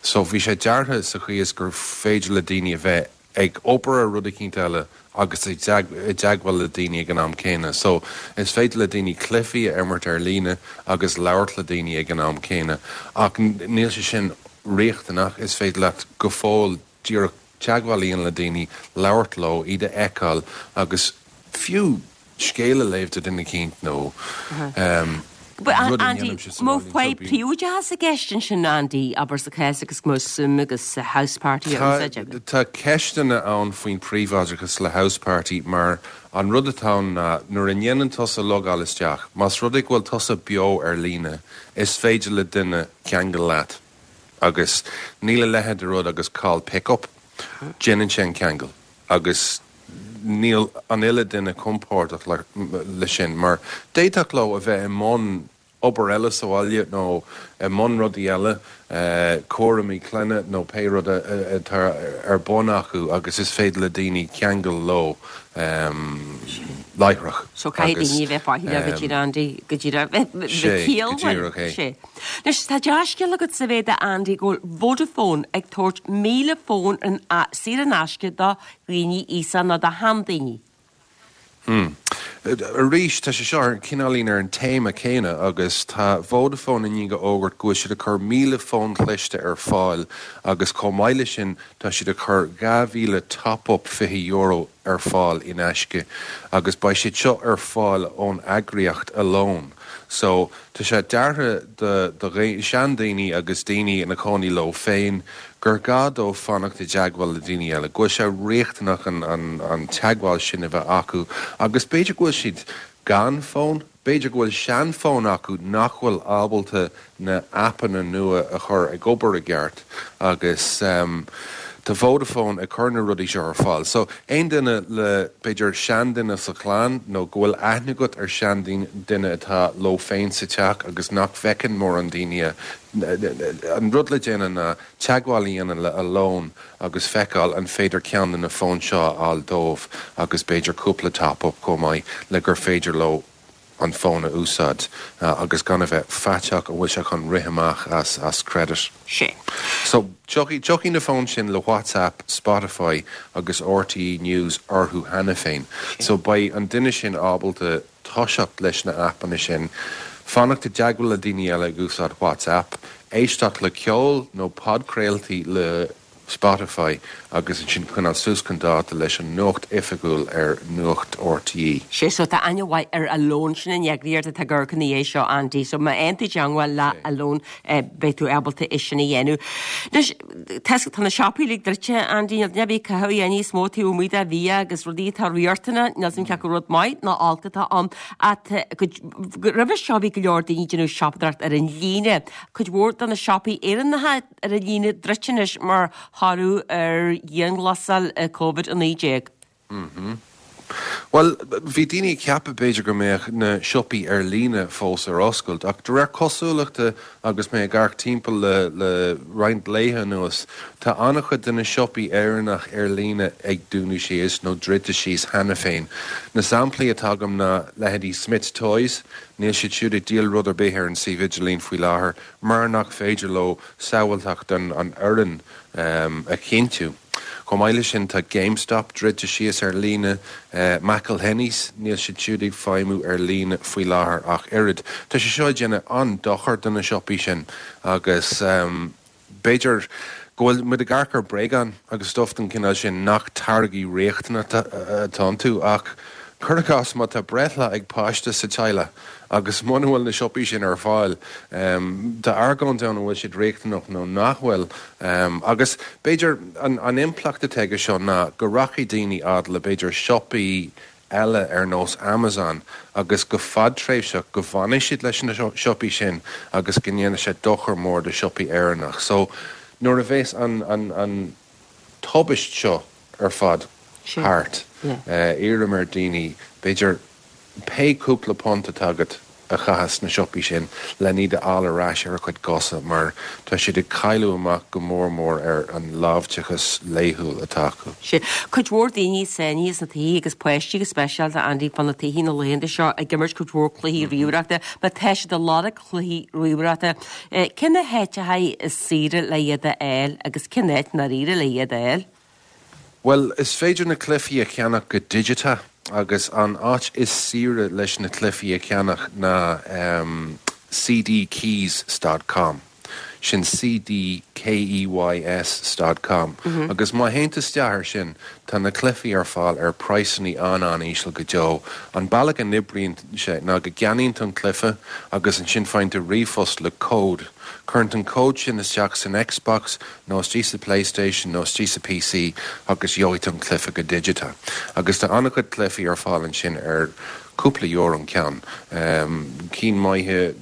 So bhí sé deartha sa chaoi is gur féidir le daoine a bheith ag obair ar rud éicint eile agus i dteagmháil le daoine ag an am céanna. So is féidir le daoine cluichí a imirt ar líne agus labhairt le daoine ag an am céanna. Ach níl sé sin riachtanach. Is féidir leat go fóill díreach teagmháil a dhéanamh le daoine, labhairt leo, iad a fheiceáil agus fiú scéal a léamh do dhuine éicint nó um, Andy, má faoi príobháideachas i gceist ansin, Andy, abair sa chás agus go Zoom agus House Party? Tá ceisteanna ann faoin príobháideachas le House Party mar an rud atá ná nuair a ndéanann tusa logáil isteach, más rud é go bhfuil tusa beo ar líne, is féidir le duine ceangal leat. Agus níl a leithéid de rud agus call pick-up, déanann sé an ceangal. Agus níl an uile duine compordach le, le sin, mar d'fhéadfadh leo a bheith i mbun obair eile sa bhaile nó i mbun rudaí eile, eh, cúraimí clainne nó pé rud atá ar bun acu agus is féidir le daoine ceangal leo um, láithreach. So caithfidh daoine bheith faichilleach go dtí Andy go dtí sé. Anois tá dea-scéal agat sa bhéad Andy go bhfuil Vodafone ag tabhairt míle fón an saor in aisce do dhaoine aosta nó do sheandaoine. Hmm. Arís tá sé seo ar cineáilín ar an téama céanna agus tá Vodafone i ndiaidh a fhógairt go bhfuil siad ag cur míle fón cliste ar fáil agus chomh maith leis sin tá siad ag cur dhá mhíle top-up fiche euro ar fáil in aisce agus beidh siad seo ar fáil ón eagraíocht Alone. So tá sé deartha do do seandaoine agus daoine ina cónaí leo féin gur gá dóibh fanacht i dteagmháil le daoine eile, go bhfuil sé riachtanach an, an, an teagmháil sin a bheith acu agus b'fhéidir go bhfuil siad gan fón, b'fhéidir go bhfuil seanfhón acu nach bhfuil ábalta na aipeanna nua a chur ag obair i gceart agus um, Tá Vodafone ag cur na rudaí seo ar fáil. So aon duine le b'fhéidir seanduine sa chlann nó go bhfuil aithne agat ar sheanduine atá leo féin sa teach agus nach bhfeiceann mórán daoine, an rud le déanamh ná teagmháil a dhéanamh le Alone agus feiceáil an féidir ceann de na fóin seo a fháil dóibh agus b'fhéidir cúpla top-up chomh maith le gur féidir leo an fón a úsáid agus gan a bheith faiteach an bhfuil sé chun rith amach as as credit. Sé. So tiocfaidh tiocfaidh na fóin sin le WhatsApp, Spotify agus RTÉ News orthu cheana féin. So beidh an duine sin ábalta toiseacht leis na aipeanna sin, fanacht i dteagmháil le daoine eile ag úsáid WhatsApp, éisteacht le ceol nó podchraoltaí le Spotify agus ansin coinneáil suas chun dáta leis an nuacht oifigiúil ar Nuacht RTÉ. Sé so tá aithne mhaith ar Alone, sin an eagraíocht atá ag amharc ina dhiaidh seo Andy, so má théann tú i dteangmháil le Alone beidh tú ábalta é sin a dhéanamh. Anois tá tá na siopaí uilig druidte Andy, níl duine ar bith ag caitheamh a dhath níos mó taobh amuigh de bhia agus rudaí atá riachtanach, níl 's a'm cé acu rud maith nó olc atá ann ach roimhe seo bhí go leor daoine ag déanamh siopadóireacht ar an líne, cuid mhór de na siopaí Éireannacha ar an líne druidte anois mar thoradh ar dhianghlasáil Covid a naoi déag. Bhuel, bhí daoine ag ceapadh b'fhéidir go mbeadh na siopaí ar líne fós ar oscailt, ach de réir cosúlachta agus mé ag amharc timpeall le le roinnt laetha anuas, tá an-chuid de na siopaí Éireannach ar líne ag dúnadh síos nó druidte síos cheana féin. Na samplaí atá agam ná leithéidí Smyths Toys, níl siad siúd ag díol rud ar bith ar an suíomh idirlín faoi láthair mar nach féidir leo sábháilteacht an fhoireann a chinntiú. Chomh maith leis sin tá GameStop druidte síos ar líne, McElhenney's, níl siad siúd ag feidhmiú ar líne faoi láthair ach oiread. Tá sé seo ag déanamh an-dochar do na siopaí sin agus b'fhéidir go bhfuil muid ag amharc ar bréagáin agus stuff den chineál sin nach táirgí riachtanacha atá iontu ach cuir i gcás má tá breithlá ag páiste sa teaghlach agus muna bhfuil na siopaí sin ar fáil, tá argóint ann an bhfuil siad riachtanach nó nach bhfuil. Agus b'fhéidir an impleacht atá aige seo ná go rachaidh daoine fhad le b'fhéidir siopaí eile ar nós Amazon agus go fadtréimhseach go bhfanfaidh siad leis na siopaí sin agus go ndéanfaidh sé dochar mór do siopaí Éireannach. So nuair a bheas an an an tubaist seo ar fad thart, iarraim ar daoine b'fhéidir pé cúpla punt atá agat a chaitheamh sna siopaí sin len iad a fháil ar ais ar a gcuid cosa mar tá siad ag cailleadh amach go mór mór ar an láimhdeachas laethúil atá acu. Sea. Cuid mhór daoine sáinnithe sna tithe agus páistí go speisialta, Andy, fá na tithe na laethanta seo ag imirt cuid mhór cluichí ríomhaireachta. Má tá siad ag lorg cluichí ríomhaireachta, cé na háiteacha is saoire le iad a fháil agus cén áit ndáiríre le iad a fháil? Bhuel, is féidir na cluichí a cheannach go digiteach agus an áit is saoire leis na cluichí a cheannach ná cdkeys dot com. Sin cdkeys dot com. Agus má théann tú isteach ar sin, tá na cluichí ar fáil ar praghsanna an-an-íseal go deo. An bealach a n-oibríonn sé ná go gceannaíonn tú an cluiche agus ansin faigheann tú ríomhphost le cód. Cuireann tú an cód sin isteach san Xbox nó istigh sa PlayStation nó istigh sa PC agus gheobhaidh tú an cluiche go digiteach. Agus tá an-chuid cluichí ar fáil ansin ar cúpla euro an ceann. Cinn maithe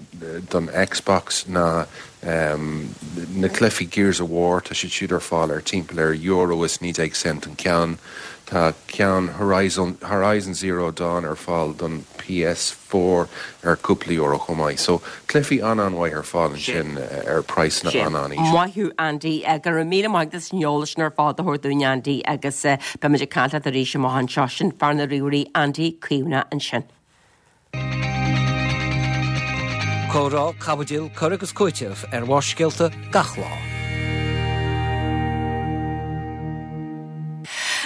don Xbox ná na cluichí Gears of War, tá siad siúd ar fáil ar timpeall ar euro is naoi déag cent an ceann. Tá ceann Horizon Horizon Zero Dawn ar fáil don PS four ar cúpla euro chomh maith. So, cluichí an-an-mhaith ar fáil ansin ar praghsanna an-an-íseal. Maith thú Andy. Go raibh míle maith agat as an eolas sin ar fad a thabhairt dúinn Andy agus beimid ag caint leat arís amach anseo. Sin fear na ríomhairí Andy Caomhánach ansin. Comhrá, caibidil, cur agus cúiteamh ar Bharrscéalta gach lá.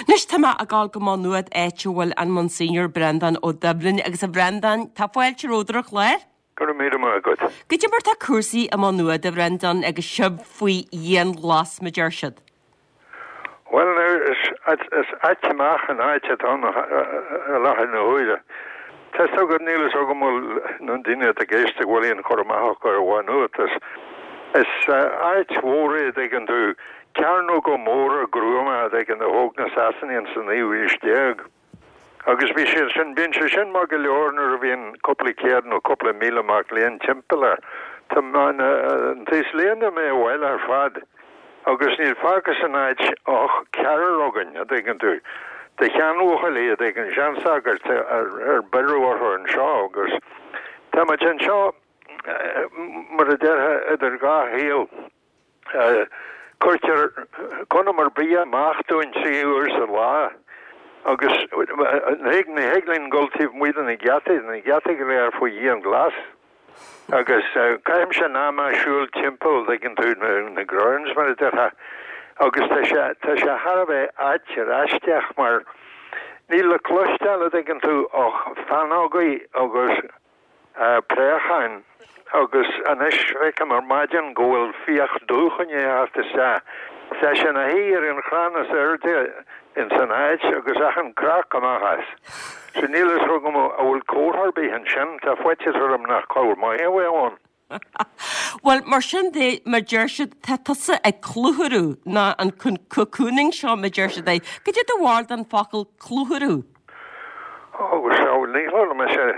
Anois tá mé ag dul go Maigh Nuad áit a bhfuil an Monsignor Breandán Ó Doibhlin agus a Bhreandáin, tá fáilte romhat ar an chlár. Go raibh míle maith agat. Goidé mar tá cúrsaí i Maigh Nuad, a Bhreandáin, agus sibh faoi dhianghlas, mar deir siad. Bhuel, is ait amach an áit atá ann i láthair na huaire. Tá 'fhios agat, níl 'fhios agam an bhfuil na daoine atá ag éisteacht an bhfuil aon chur amach acu ar Mhaigh Nuad. Is áit mhór é, an dtuigeann tú, cearnóga móra gruama, an dtuigeann, a thóg na Sasanaigh ins an naoú haois déag. Agus bhí sé sin, bíonn sé sin maith go leor nuair a bhíonn cúpla céad nó cúpla míle mac léinn timpeall air. Tá an t-aos léinn imithe abhaile ar fad. Agus níl fágtha san áit ach ceathrar againn, a dtuigeann tú, de sheanbhuachaillí, a dtuigeann, seansagairt ar ar beireadh orthu anseo agus tá muid anseo, mar a déarfá, idir dhá shaol. Cuirtear conamar bia amach dúinn trí huair sa lá agus ní thig linn dul taobh amuigh de na geataí, na geataí go léir faoi dhianghlas. Agus caithimse an am ag siúl timpeall, dtuigeann tú, na grounds mar a déarfá, agus tá sé, tá sé thar a bheith ait ar aisteach mar níl le cloisteáil, a dtuigeann tú, ach feannógaí agus préacháin agus anois feicim ar maidin go bhfuil fiach dubh i ndiaidh theacht isteach. Tá sé ina shuí ar an chrann is airde ins an áit agus achan creach amach as. So níl fhios agam an bhfuil comhartha ar bith ansin, tá faitíos orm nach comhartha maith a bheadh ann. Bhuel, mar sin de, mar deir siad, tá tusa ag clutharú, ná an cocooning seo, mar deir siad é. Cad é do bharúil den focal clutharú? Ó, sea, ní chuala mise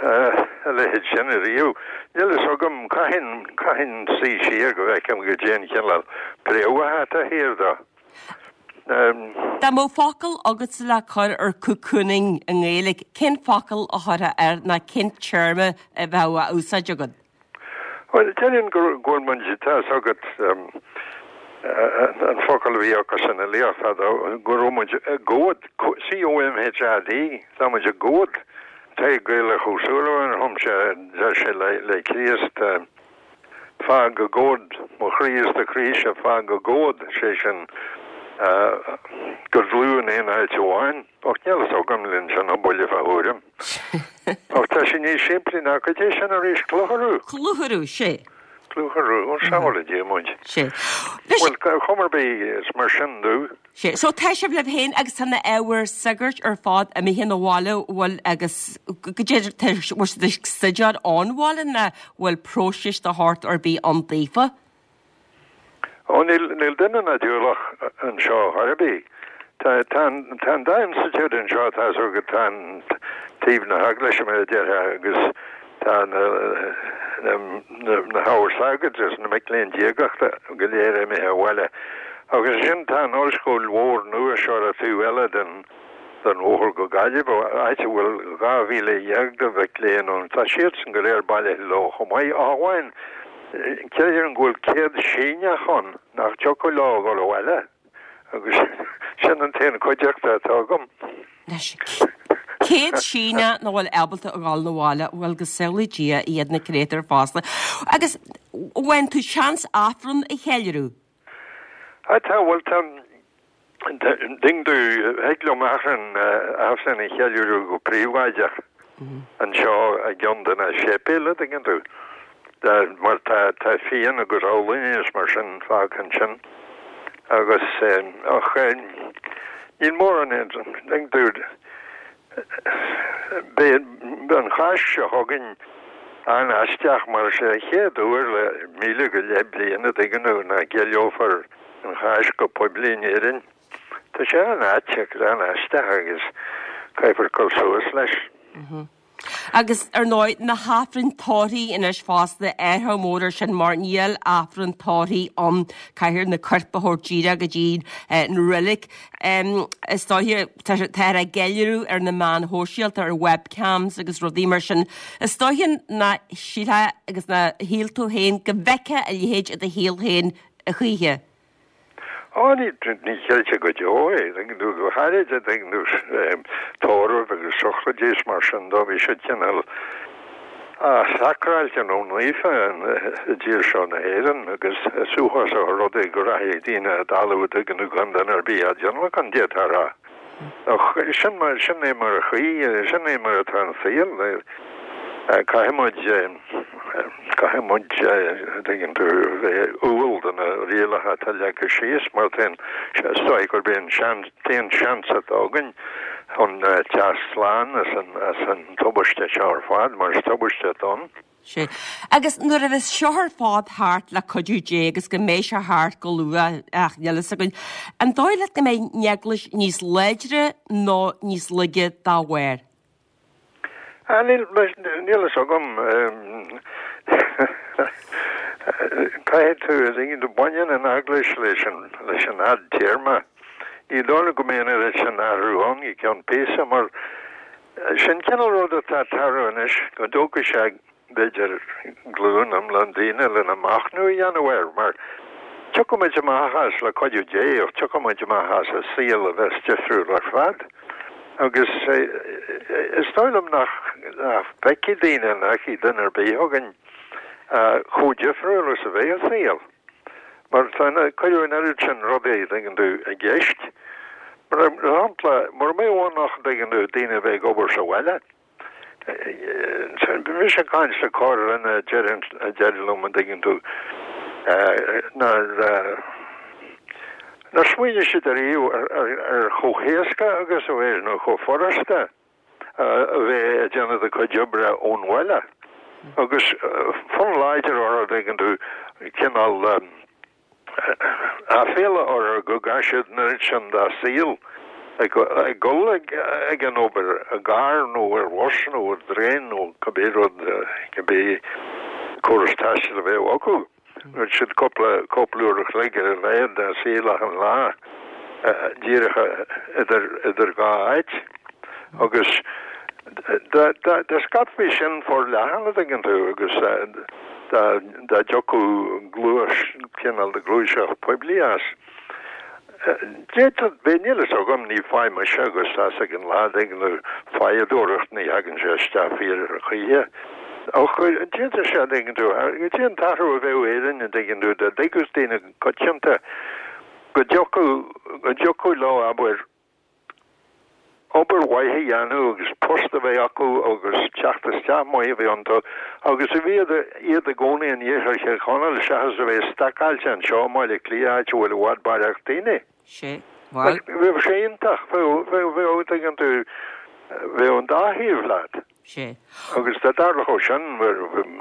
a leithéid sin ariamh. Níl fhios agam, caithfinn, caithfinn suí siar go bhfeicim goidé an cineál préamhacha atá thiar dó. Dá mbeadh focal agatsa le cur ar cocooning i nGaeilge, cén focal a chuirfeá air ná cén téarma a bheadh á úsáid agat? Bhuel, déarfainn go bhfuil muid, tá fhios agat an focal a bhí acu san fhilíocht fadó, go raibh muid i gcomhad, C O M H A D, tá muid i gcomhad. Tadhg Gaelach Ó Súilleabháin a chum sé, deir sé le Críost, Fág i gcomhad mo chroí is do chroíse, fág i gcomhad, sé sin, go dlúth in aon áit amháin. Ach níl fhios agam linn sin an buille fá thuairim. Ach tá sé níos simplí ná goidé sin arís, clutharú. Clutharú, sé. Clutharú, ó sábhála Dia muid. Sé. Bhuel, chuma ar bith, is mar sin domh. Sé. So tá sibh libh féin agus tá na ábhair sagairt ar fad imithe 'na bhaile, bhfuil agus goidé tá bhfuil siad ag stuidéar ón bhaile ná bhfuil próiseas de shórt ar bith ann daofa? Ó níl níl duine ná diabhlach anseo chor ar bith. Tá tá an tá an dá institiúid anseo tá fhios agat tá an taobh na heaglaise mar a déarfá agus tá na na na na hábhair sagairt agus na mic léinn diagachta go léir imithe abhaile. Agus ansin tá an ollscoil mhór nua seo ar an taobh eile den den bhóthar go Gaillimh, áit a bhfuil dhá mhíle dhéag de mhic léinn ann. Tá siadsan go léir bailithe leo chomh maith, ach amháin creidim go bhfuil céad Síneach ann nach dtiocfadh leo a dhul abhaile, agus sin an t-aon chuideachta atá agam. Anois, céad Síneach nach bhfuil ábalta a dhul 'na bhaile, bhuel, go sábhála Dia iad na créatúir fosta. Agus bhain tú seans Aifreann a cheiliúradh? Tá, bhuel, tá, ding tú, thig liom Aifreann, Aifreann a cheiliúradh go príobháideach anseo i gceann de na séipéil, a dtuigeann tú, mar tá, tá fíon agus olann is mar sin fágtha ansin. Agus, ach níl mórán, dtuigeann tú, beidh an Cháisc seo chugainn an-aisteach mar is é an chéad uair le míle go leith bliain, a dtuigeann tú, nach gceiliúrfar an Cháisc go poiblí in Éirinn. Tá sé an-ait agus an-aisteach agus caithfear cur suas leis. Agus, ar ndóigh, na hAifrinn tórraimh anois fosta, athrú mór ar sin mar níl Aifreann tórraimh ann, caithfear na coirp a thabhairt díreach go dtí an reilig. Is dóiche, táthar á gceiliúradh ar na meáin shóisialta, ar webcams agus rudaí mar sin. Is dóiche nach sílfeá agus nár shíl tú féin go bhfeicfeá a leithéid i do shaol féin a choíche. Ó, ní chreidfeá go deo é, tuigeann tú, go háirid, tuigeann tú, tórraimh agus sochraidí is mar sin dó, bhí siad cineál sacráilte nó naofa i dtír seo na hÉireann agus is uafásach an rud é go rachaidh daoine i dtalamh, tuigeann tú, gan duine ar bith á dtionlacan, d'fhéadfá a rá. Ach sin mar, sin é mar a chuí, sin é mar atá an saol. Caithfidh muid, caithfidh muid, tuigeann tú, bheith umhal do na rialacha atá leagtha síos mar tá an, is dóigh gurb é an seans, t-aon seans atá againn chun teacht slán as an, as an tubaiste seo ar fad, mar is tubaiste atá ann. Sea. Agus nuair a bheas seo ar fad thart le cuidiú Dé agus go mbeidh sé thart go luath, ach níl fhios againn, an dóigh leat go mbeidh an Eaglais níos láidre nó níos laige dá bharr? Ah, níl, níl fhios agam. Caithfidh tú, a dtuigeann tú, baineann an eaglais leis an leis an fhadtéarma. Ní dóigh liom go mbeidh an oiread sin athrú ann i gceann píosa mar sin cineál rud atá ag tarlú anois, go dtógfaidh sé b'fhéidir glúin iomlán daoine lena machnamh a dhéanamh air mar tiocfaidh muid amach as le cuidiú Dé ach tiocfaidh muid amach as i saol a bheas difriúil ar fad. Agus is dóigh liom nach bhfeicfidh daoine, nach bhfeicfidh duine ar bith againn chomh difriúil is a bheidh an saol. Mar tá cuireadh an oiread sin rudaí, an dtuigeann tú, i gceist. Mar shampla, mura mbeadh ann ach, an dtuigeann tú, daoine a bheith ag obair sa bhaile. Bhí mise ag caint le cara linn a deir liom, an dtuigeann tú, nár nár smaoinigh siad ariamh ar chomh héasca agus a bheadh nó chomh furasta a bheith ag déanamh do chuid oibre ón bhaile. Agus fonn láidir orthu, an dtuigeann tú, cineál aiféala orthu go gcaith siad an oiread sin dá saol ag dul ag an obair i gcarr nó ar bhus nó ar dtraein nó cibé rud, cibé córas taistil a bheadh acu. Bhí siad cúpla cúpla uair a chloig ar a laghad dá saol achan lá díreach idir idir dhá áit. Agus dá dá scaipfí sin forleathan, an dtuigeann tú, agus dá dá dtiocfadh gluais cineál de ghluaiseacht poiblí as. D'fhéadfadh, bheadh, níl fhios agam, ní fáidh mise agus tá's ag an lá, an dtuigeann tú, fáidheadóireacht, ní thagann sé isteach fíor ar choíche. Ach d'fhéadfadh sé, an dtuigeann tú, goidé an t-athrú a bheadh Éirinn, an dtuigeann tú, dá dtuigfeadh daoine coitianta go dtiocfadh, go dtiocfadh leo, abair, obair mhaith a dhéanamh agus post a bheith acu agus teacht isteach maith a bheith iontu agus a bheith iad i gcónaí in iarthar Thír Chonaill seachas a bheith stacáilte anseo i mBaile Átha Cliath áit a bhfuil i bhfad barraíocht daoine. Sea. Bhuel. Bheadh sé iontach, bheadh, bheadh, bheadh, tuigeann tú, bheadh an dá thaobh leat. Sea. Agus dá dtarlódh sin,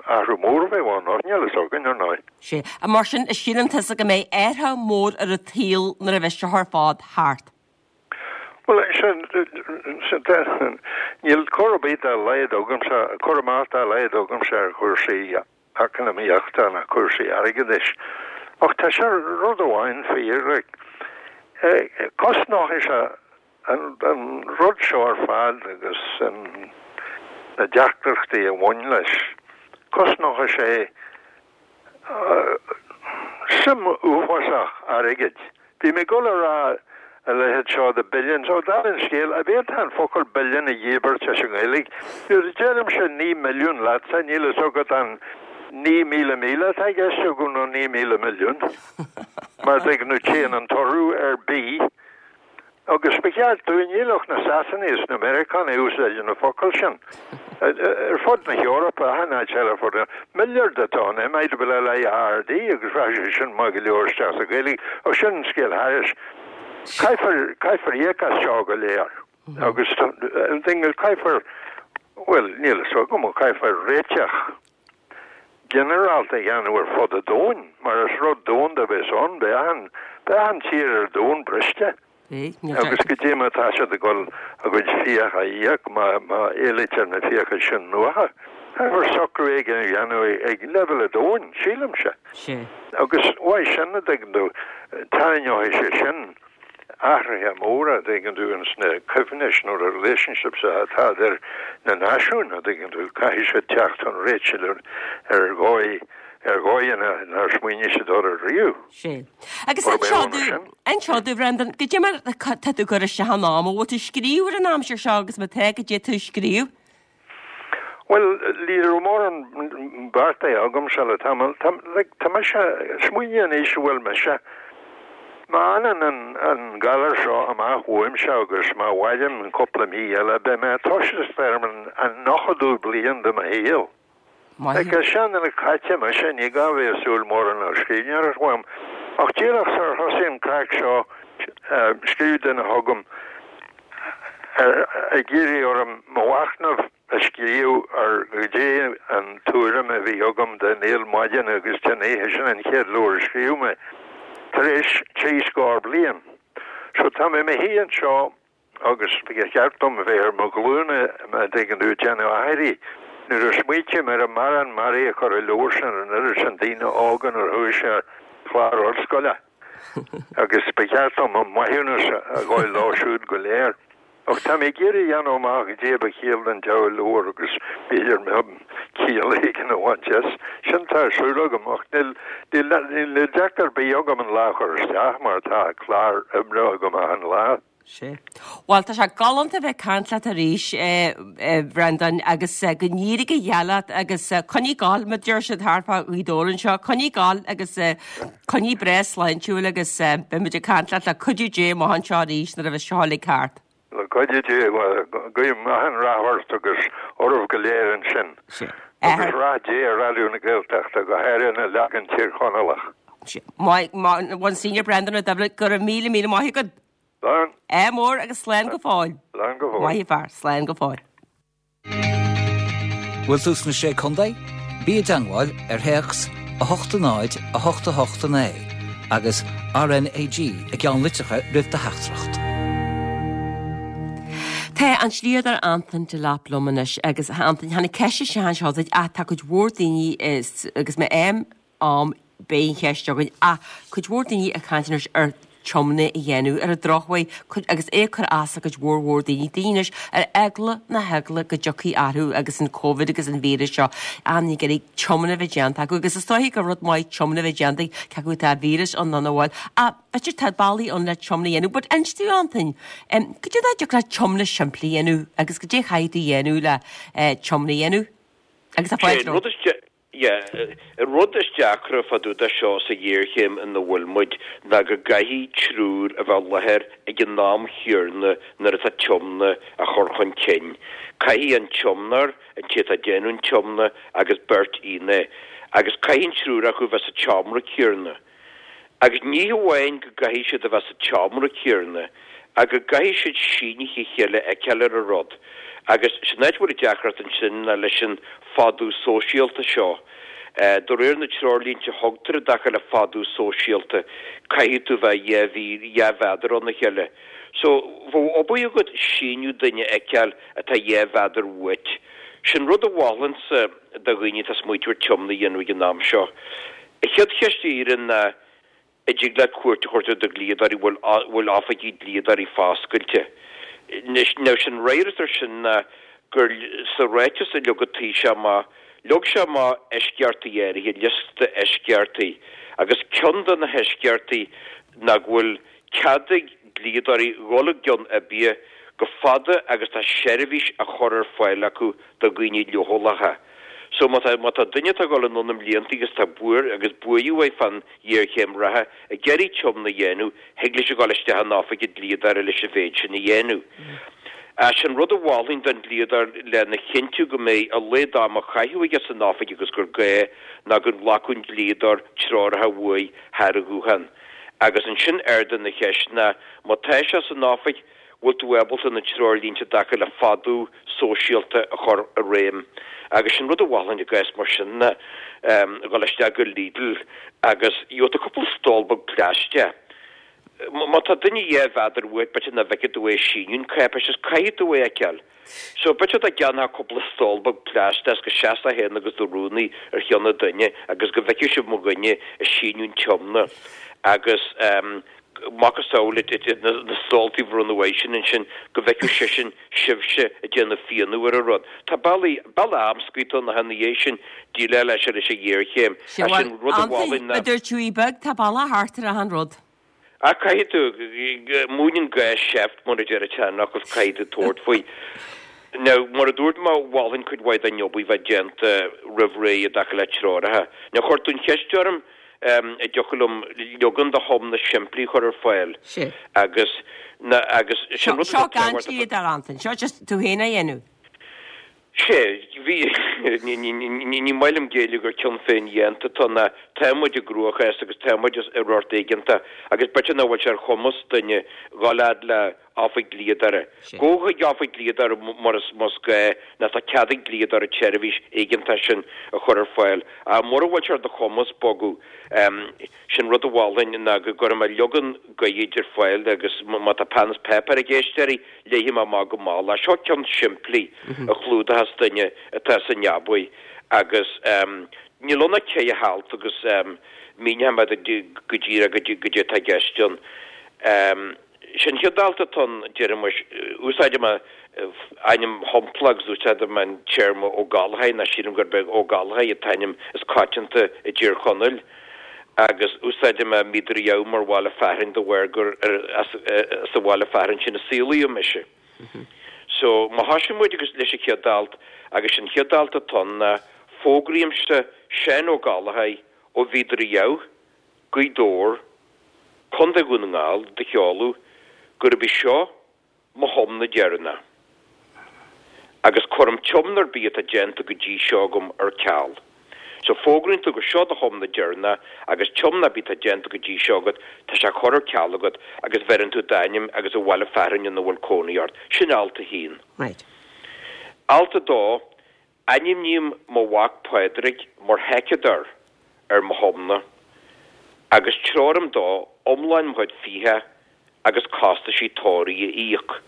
athrú mór a bheadh ann, ach níl fhios againn, ar ndóigh. Sea. Mar sin, síleann tusa go mbeidh athrú mór ar an tsaol nuair a bheas seo ar fad thart? Bhuel, sin, níl cur ar bith dá laghad agamsa, cur amach dá laghad agamsa ar chúrsaí eacnamaíochta ná cúrsaí airgeadais. Ach tá sé rud amháin fíor, like, cosnóidh sé an, an rud seo ar fad agus an, na deacrachtaí a bhain leis, cosnóidh sé suim uafásach airgid. Bhí mé ag dul a rá a leithéid seo de billions, ó dála an scéil, an bhféadfá an focal billion a dhíbirt as an nGaeilge? Nuair a deirimse naoi milliún leatsa, níl fhios agat an naoi míle míle atá i gceist agam nó naoi míle milliún. Mar tuigeann tú téann an t-urú ar B. Agus ba cheart dúinn, níl ach na Sasanaigh is na Meiriceánaigh a úsáideann na focail sin. Ar fud na hEorpa, achan áit eile ar fud na, milliard atá ann, M I L L I A R D, agus rachadh sé sin maith go leor isteach sa Ghaeilge, ach sin an scéal thairis. Caithfear, caithfear íoc as seo go léir. Agus caithfear, bhuel, níl fhios agam, caithfear réiteach ginearálta a dhéanamh ar fud an domhain, mar is rud domhanda a bheas ann, beidh achan, beidh achan tír ar domhan briste. Agus goidé mar atá siad ag dul a gcuid fiach a íoc má éilítear na fiacha sin uathu. Caithfear socrú éigin a dhéanamh ag leibhéal an domhain, sílimse. Agus uaidh sin, a dtuigeann tú, tarraingeoidh sé sin athruithe móra, a dtuigeann tú, ins na coibhnis nó na relationships atá idir na náisiúin, a dtuigeann tú, caithfidh siad teacht chun réitigh ar dhóigh ar dhóigheanna nár smaoinigh siad orthu riamh. Sea. Agus inis domh, Bhrendan, goidé mar tá tú ag cur isteach an am, an bhfuil tú ag scríobh ar an aimsir seo agus má tá, goidé tá tú ag scríobh? Bhuel, ní raibh mórán beartaithe agamsa le tamall. Tá, like, tá mise, smaoinigh an aois a bhfuil mise. Má fhanann an, an galar seo amach uaimse agus má mhairim cúpla mí eile, beidh mé ag toiseacht ar an, an nóchadú bliain de mo shaol. Maith. Is seanduine caite mise, ní gá bheith ag súil mórán le scríbhneoireacht uaim. Ach díreach sar thosaigh an craic seo, scríobh duine chugam ag iarraidh orm mo mhachnamh a scríobh ar goidé an tuairim a bhí agam den néal maidine agus den oíche, sin an chéad leabhar a scríobh mé tar éis trí scór bliain. So tá mé i mo shuí anseo agus ba cheart dom a bheith ar mo ghlúine, an dtuigeann tú, ag déanamh aithrí. Nuair a smaoitím ar an mbarrán mearaí a chuir an leabhar sin ar an oiread sin daoine óga nuair a chuaigh sé ar chlár ollscoile. Agus ba cheart dom mo mhaithiúnas a ghabháil leo siúd go léir. Ach tá mé ag iarraidh a dhéanamh amach goidé ba chiall don diabhal leabhar agus b'fhéidir ciall éigin a bhaint as. Sin tá ar siúl agam ach níl níl dearcadh ar bith agam an lá a chur isteach mar tá clár oibre agam achan lá. Sea. Bhuel, tá sé galánta bheith ag caint leat arís, a Bhreandáin, agus go n-éirí go geal leat agus coinnigh ag gabháil, mar a deir siad thart fá Ghaoth Dobhair anseo, coinnigh ag gabháil agus coinnigh breá sláintiúil agus beidh muid ag caint leat le cuidiú Dé amach anseo arís nuair a bheas seo uilig thart. Le cuidiú Dé, guím achan rath ort agus oraibh go léir ansin. Agus rath Dé ar Raidió na Gaeltachta, go háirithe an leagan Tír Chonallach. Monsignor Breandán Ó Doibhlin, go raibh míle míle maith agat. Slán. Ádh mór agus slán go fóill. Slán go fóill. Maith an fear, slán go fóill. Bhfuil tú sna Sé Contae? Bí i dteangmháil ar théacs a hocht a náid a hocht a hocht a naoi agus RnaG i gceannlitreacha roimh do theachtaireacht. Tá an dlíodóir Antain Delap liom anois agus a Antain, tháinig ceist isteach anseo duit ach tá cuid mhór daoine agus má fhaighim am beidh an cheist againn ach cuid mhór daoine ag caint anois ar tiomna a dhéanamh ar an drochuair agus é ag cur as do chuid mhór mhór daoine, daoine anois ar eagla na heagla go dtiocfaidh orthu agus an Covid agus an víreas seo an ag iarraidh tiomna a bheith déanta acu agus is dóiche gur rud maith tiomna a bheith déanta cé acu tá víreas ann nó nach bhfuil ach b'fhéidir tá bealaí ann le tiomna a dhéanamh but inis dúinn Antain goidé a dtiocfadh le tiomna simplí a dhéanamh agus goidé a chaithfidh tú a dhéanamh le tiomna a dhéanamh agus a fáilte romhat. Yeah, an rud is deacra fá dtaobh de seo sa ghéarchéim ina bhfuil muid ná go gcaithfidh triúr a bheith i láthair ag an am chéanna nuair atá tiomna á chur chun cinn. Caithfidh an tiomnóir, an té atá ag déanamh an tiomna agus beirt fhínné. Agus caithfidh an triúr acu bheith sa tseomra céanna. Agus ní hamháin go gcaithfidh siad a bheith sa tseomra céanna, ach go gcaithfidh siad sínithe a chéile a fheiceáil ar an rud. Agus sin áit a bhfuil an deacracht ansin ná leis an fadú sóisialta seo. De réir na treoirlínte a thugtar i dtaca le fadú sóisialta, caithfidh tú bheith dhá mhí, dhá mhéadar óna chéile. So, bheadh obair agat síniú duine a fheiceáil atá dhá mhéadar uait. Sin rud a mholfainnse do dhaoine atá ag smaoitiú ar tiomna a dhéanamh ag an am seo. An chéad cheist a iarrfainn ná, an dtig leat cuairt a thabhairt ar do dhlíodóirí, bhfuil, bhfuil oifigí dlíodóirí foscailte? Anois, now sin ráiteas ar sin ná gur sa ráiteas a leag an Taoiseach amach, leag sé amach eisceachtaí áirithe, liosta eisceachtaí, agus ceann de na heisceachtaí ná go bhfuil cead ag dlíodóirí dhul i gceann oifige go fada agus tá seirbhís á chur ar fáil acu do dhaoine leochaileacha. So má tá, má tá duine atá ag dul anonn i mblianta agus tá buar agus buartha uaidh fán ghéarchéim reatha ag iarraidh tiomna a dhéanamh, thig leis a dhul isteach in oifig an dlíodóra leis an mhéid sin a dhéanamh. Ach sin rud a mholfainn don dlíodóir lena chinntiú go mbeidh a laghad ama á chaitheamh aige san oifig agus gur gá ná go nglacfadh an dlíodóir treoracha uaidh thar an ghuthán. Agus ansin ardú na cheist ná má tá sé san oifig, bhfuil tú ábalta na treoirlínte i dtaca le fadú sóisialta a chur i réim? Agus sin rud a mholfainn i gcás mar sin ná dhul isteach go Lidl agus gheobhaidh tú cúpla stól beag plaisteach. Má tá duine dhá mhéadar uait, b'fhéidir nach bhfeicfidh tú é ag síniú an cáipéis is caithfidh tú é a fheiceáil. So b'fhéidir dá gceannófá cúpla stól beag plaisteach is go seasfá féin agus do rúnaí ar cheann an duine agus go bhfeicfeadh sibh mo dhuine ag síniú an tiomna agus macasamhail na stóltaí a bhronnadh uaidh sin ansin go bhfeicfeadh seisean sibhse ag déanamh fianú ar an rud. Tá bealaí, bealach amscaí atá ann ina dhiaidh sin déileáil leis leis an ghéarchéim. Sea, Sin bhuel, rud a Antain, mholfainn ná. a dúirt tú í beag, tá bealach thart ar achan rud. Ach caithfidh tú, múineann gá seift mar a deir an tseanfhocal, caithfidh tú tabhairt faoi. Now, mar a dúirt mé, mholfainn cuid mhaith den obair bheith déanta roimh ré i dtaca le treoracha. Now, chuir tú an cheist orm, an dtiocfadh liom leagan de thiomna simplí a chur ar fáil Sea. agus, na, agus sin Seo, rud seo atá gan tábhachtach. dlíodóir, Antain, seo just tú féin a dhéanamh. Sea, bhí, ní maith liom géilleadh gur cion féin-dhéanta atá ann, tá muid i gcruachás agus tá muid i rud éigeantach agus b'fhéidir nach bhfuil sé ar chumas duine dhul fhad le oifig dlíodóra. Gabh chuig oifig dlíodóra mar is más gá nó tá cead ag dlíodóir an tseirbhís éigeantach sin a chur ar fáil. Ach mura bhfuil sé ar do chumas bogadh, sin rud a mholfainn ná go gcuirfidh mé leagan Gaeilge ar fáil agus má tá peann is páipéar ag éisteoirí, léifidh mé amach go mall é. Seo ceann simplí a chlúdóchas duine atá sa neabaidh agus níl ann ach ceithre halt agus míneoidh mé duit go díreach goidé atá i gceist ann. Sin chéad alt atá ann, déarfaimis, úsáidfidh mé ainm shampla agus úsáidfidh mé an téarma Ó Gallchóir, nó sílim gurb é Ó Gallchóir an t-ainm is coitianta i dTír Chonaill, agus úsáidfidh mé Mín Doire Dhamh mar bhaile fearainn de bharr gur as an bhaile fearainn sin a saolaíodh mise. So, má thosaíonn muid agus leis an chéad alt, agus sin chéad alt atá ann ná, Fógraímse Seán Ó Gallchóir ó Mhín Doire Dhamh, Gaoth Dobhair, Contae Dhún na nGall, do sheoladh, gurb í seo mo thiomna deireanach, agus cuirim tiomna ar bith atá déanta go dtí seo agam ar ceal. So fógraíonn tú gur seo do thiomna deireanach agus tiomna ar bith atá déanta go dtí seo agat, tá sé curtha ar ceal agat agus bheireann tú d'ainm agus an bhaile fearainn ina bhfuil cónaí ort. Sin alt a haon. Right. Alt a dó, Ainmním mo mhac Pádraig mar sheiceadóir ar mo thiomna agus treoraím dó iomlán mo chuid fiacha agus costaisí tórraimh a íoc.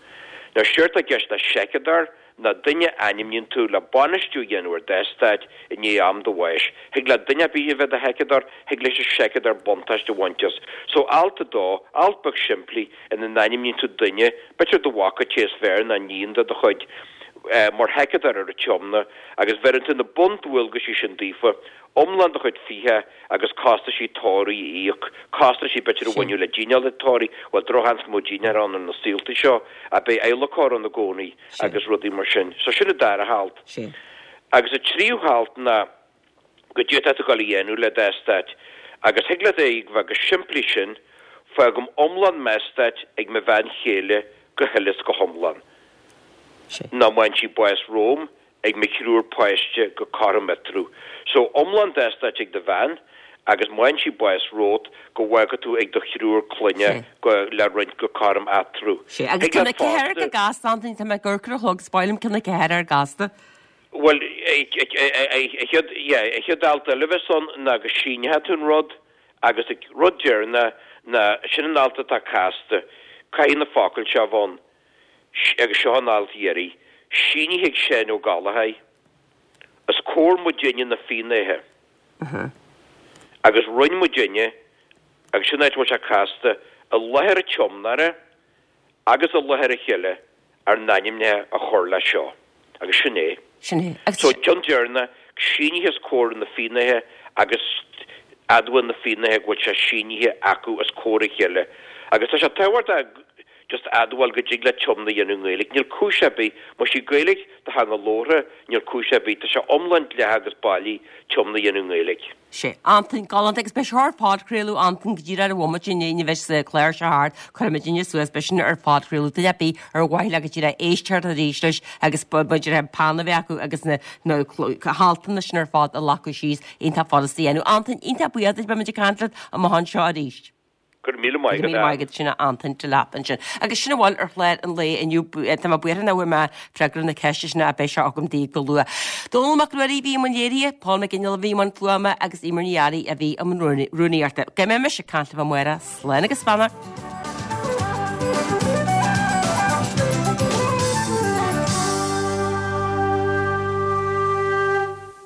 Now séard tá i gceist le seiceadóir ná duine a ainmníonn tú le bainistiú a dhéanamh ar d'eastát i ndiaidh am do bháis. Thig le duine ar bith a bheith i do sheiceadóir, thig leis an seiceadóir buntáiste a bhaint as. So alt a dó, alt beag simplí ina n-ainmníonn tú duine, b'fhéidir do mhac an té is fearr nó iníon de do chuid, mar sheiceadóir ar an tiomna agus bheireann tú na bundualgaisí sin daofa, iomlán do chuid fiacha agus costaisí tórraimh a íoc, costaisí b'fhéidir a bhaineadh le dinnéar tórraimh, bhuel drochsheans go mbeadh dinnéar ann ar na saolta seo, ach beidh adhlacóir ann i gcónaí agus rudaí mar sin. So sin an dara halt. Agus an tríú halt ná goidé atá tú ag dul a dhéanamh le d'eastát agus thig leat é a bheith chomh simplí sin, fágaim iomlán m'eastáit ag mo bhean chéile go huile is go hiomlán. Nó má fhaigheann sí bás romham ag mo thriúr páiste go cothrom eatarthu. So, iomlán d'eastáit ag do bhean agus má fhaigheann sí bás romhat go bhfágfaidh tú ag do thriúr clainne go le roinnt go cothrom eatarthu. Sé, agus Thig ceann leat a ceathair fosta. go gasta, Antaine, tá mé ag amharc ar an chlog, is maith liom ceann a ceathair ar gasta. Bhuel, an chéad, yeah, an chéad alt eile a bheas ann ná go síneoidh tú an rud agus an rud deireanach ná, sin an alt atá casta, caithfidh na focail seo a bheith ann. Agus seo an alt dheiridh, sínithe ag Seán Ó Gallchóir, os comhair muidinne na fínnéithe. Agus rinne muidinne, agus sin áit a bhfuil sé casta, i láthair an tiomnóra agus i láthair a chéile ár n-ainmneacha a chur leis seo. Agus sin é. Sin é. Agus. So, ceann deireanach, sínithe os comhair na fínnéithe agus admhaíonn na fínnéithe go bhfuil sé sínithe acu os comhair a chéile. Agus tá sé tábhachtach just admháil go dtig leat tiomna a dhéanamh i nGaeilge. Níl cúis ar bith, más í Gaeilge do theanga labhartha, níl cúis ar bith, tá sé iomlán dleathach agus bailí tiomna a dhéanamh i nGaeilge. Sé, Antain, galánta agus beidh seo ar phodchraoladh, Antain, go díreach ar an bhomaite i ndiaidh a bheas an clár seo thart, cuirfimidinne suas, beidh sin ar phodchraoladh, duine ar bith ar mhaith leo go díreach éisteacht arís leis agus b'fhéidir an peann a bheith acu agus na na haltanna sin ar fad a ghlacadh síos, iontach furasta a dhéanamh. Antain, iontach buíoch duit, beimid ag caint leat amach anseo arís. Go raibh míle maith Go raibh míle maith agat, sin Antain Delap ansin. Agus sin a bhfuil ar chlár an lae inniu. Tá mé buartha nach bhfuair mé freagra na ceiste sin ach beidh sé agam daoibh go luath. Dónall Mac Ruairí a bhí i mbun léirithe, Paul McGinley a bhí i mbun fuaime agus Eimear Ní Fhearraigh a bhí i mbun rúnaíochta. Go mbeidh mise ag caint libh amárach. Slán agus beannacht.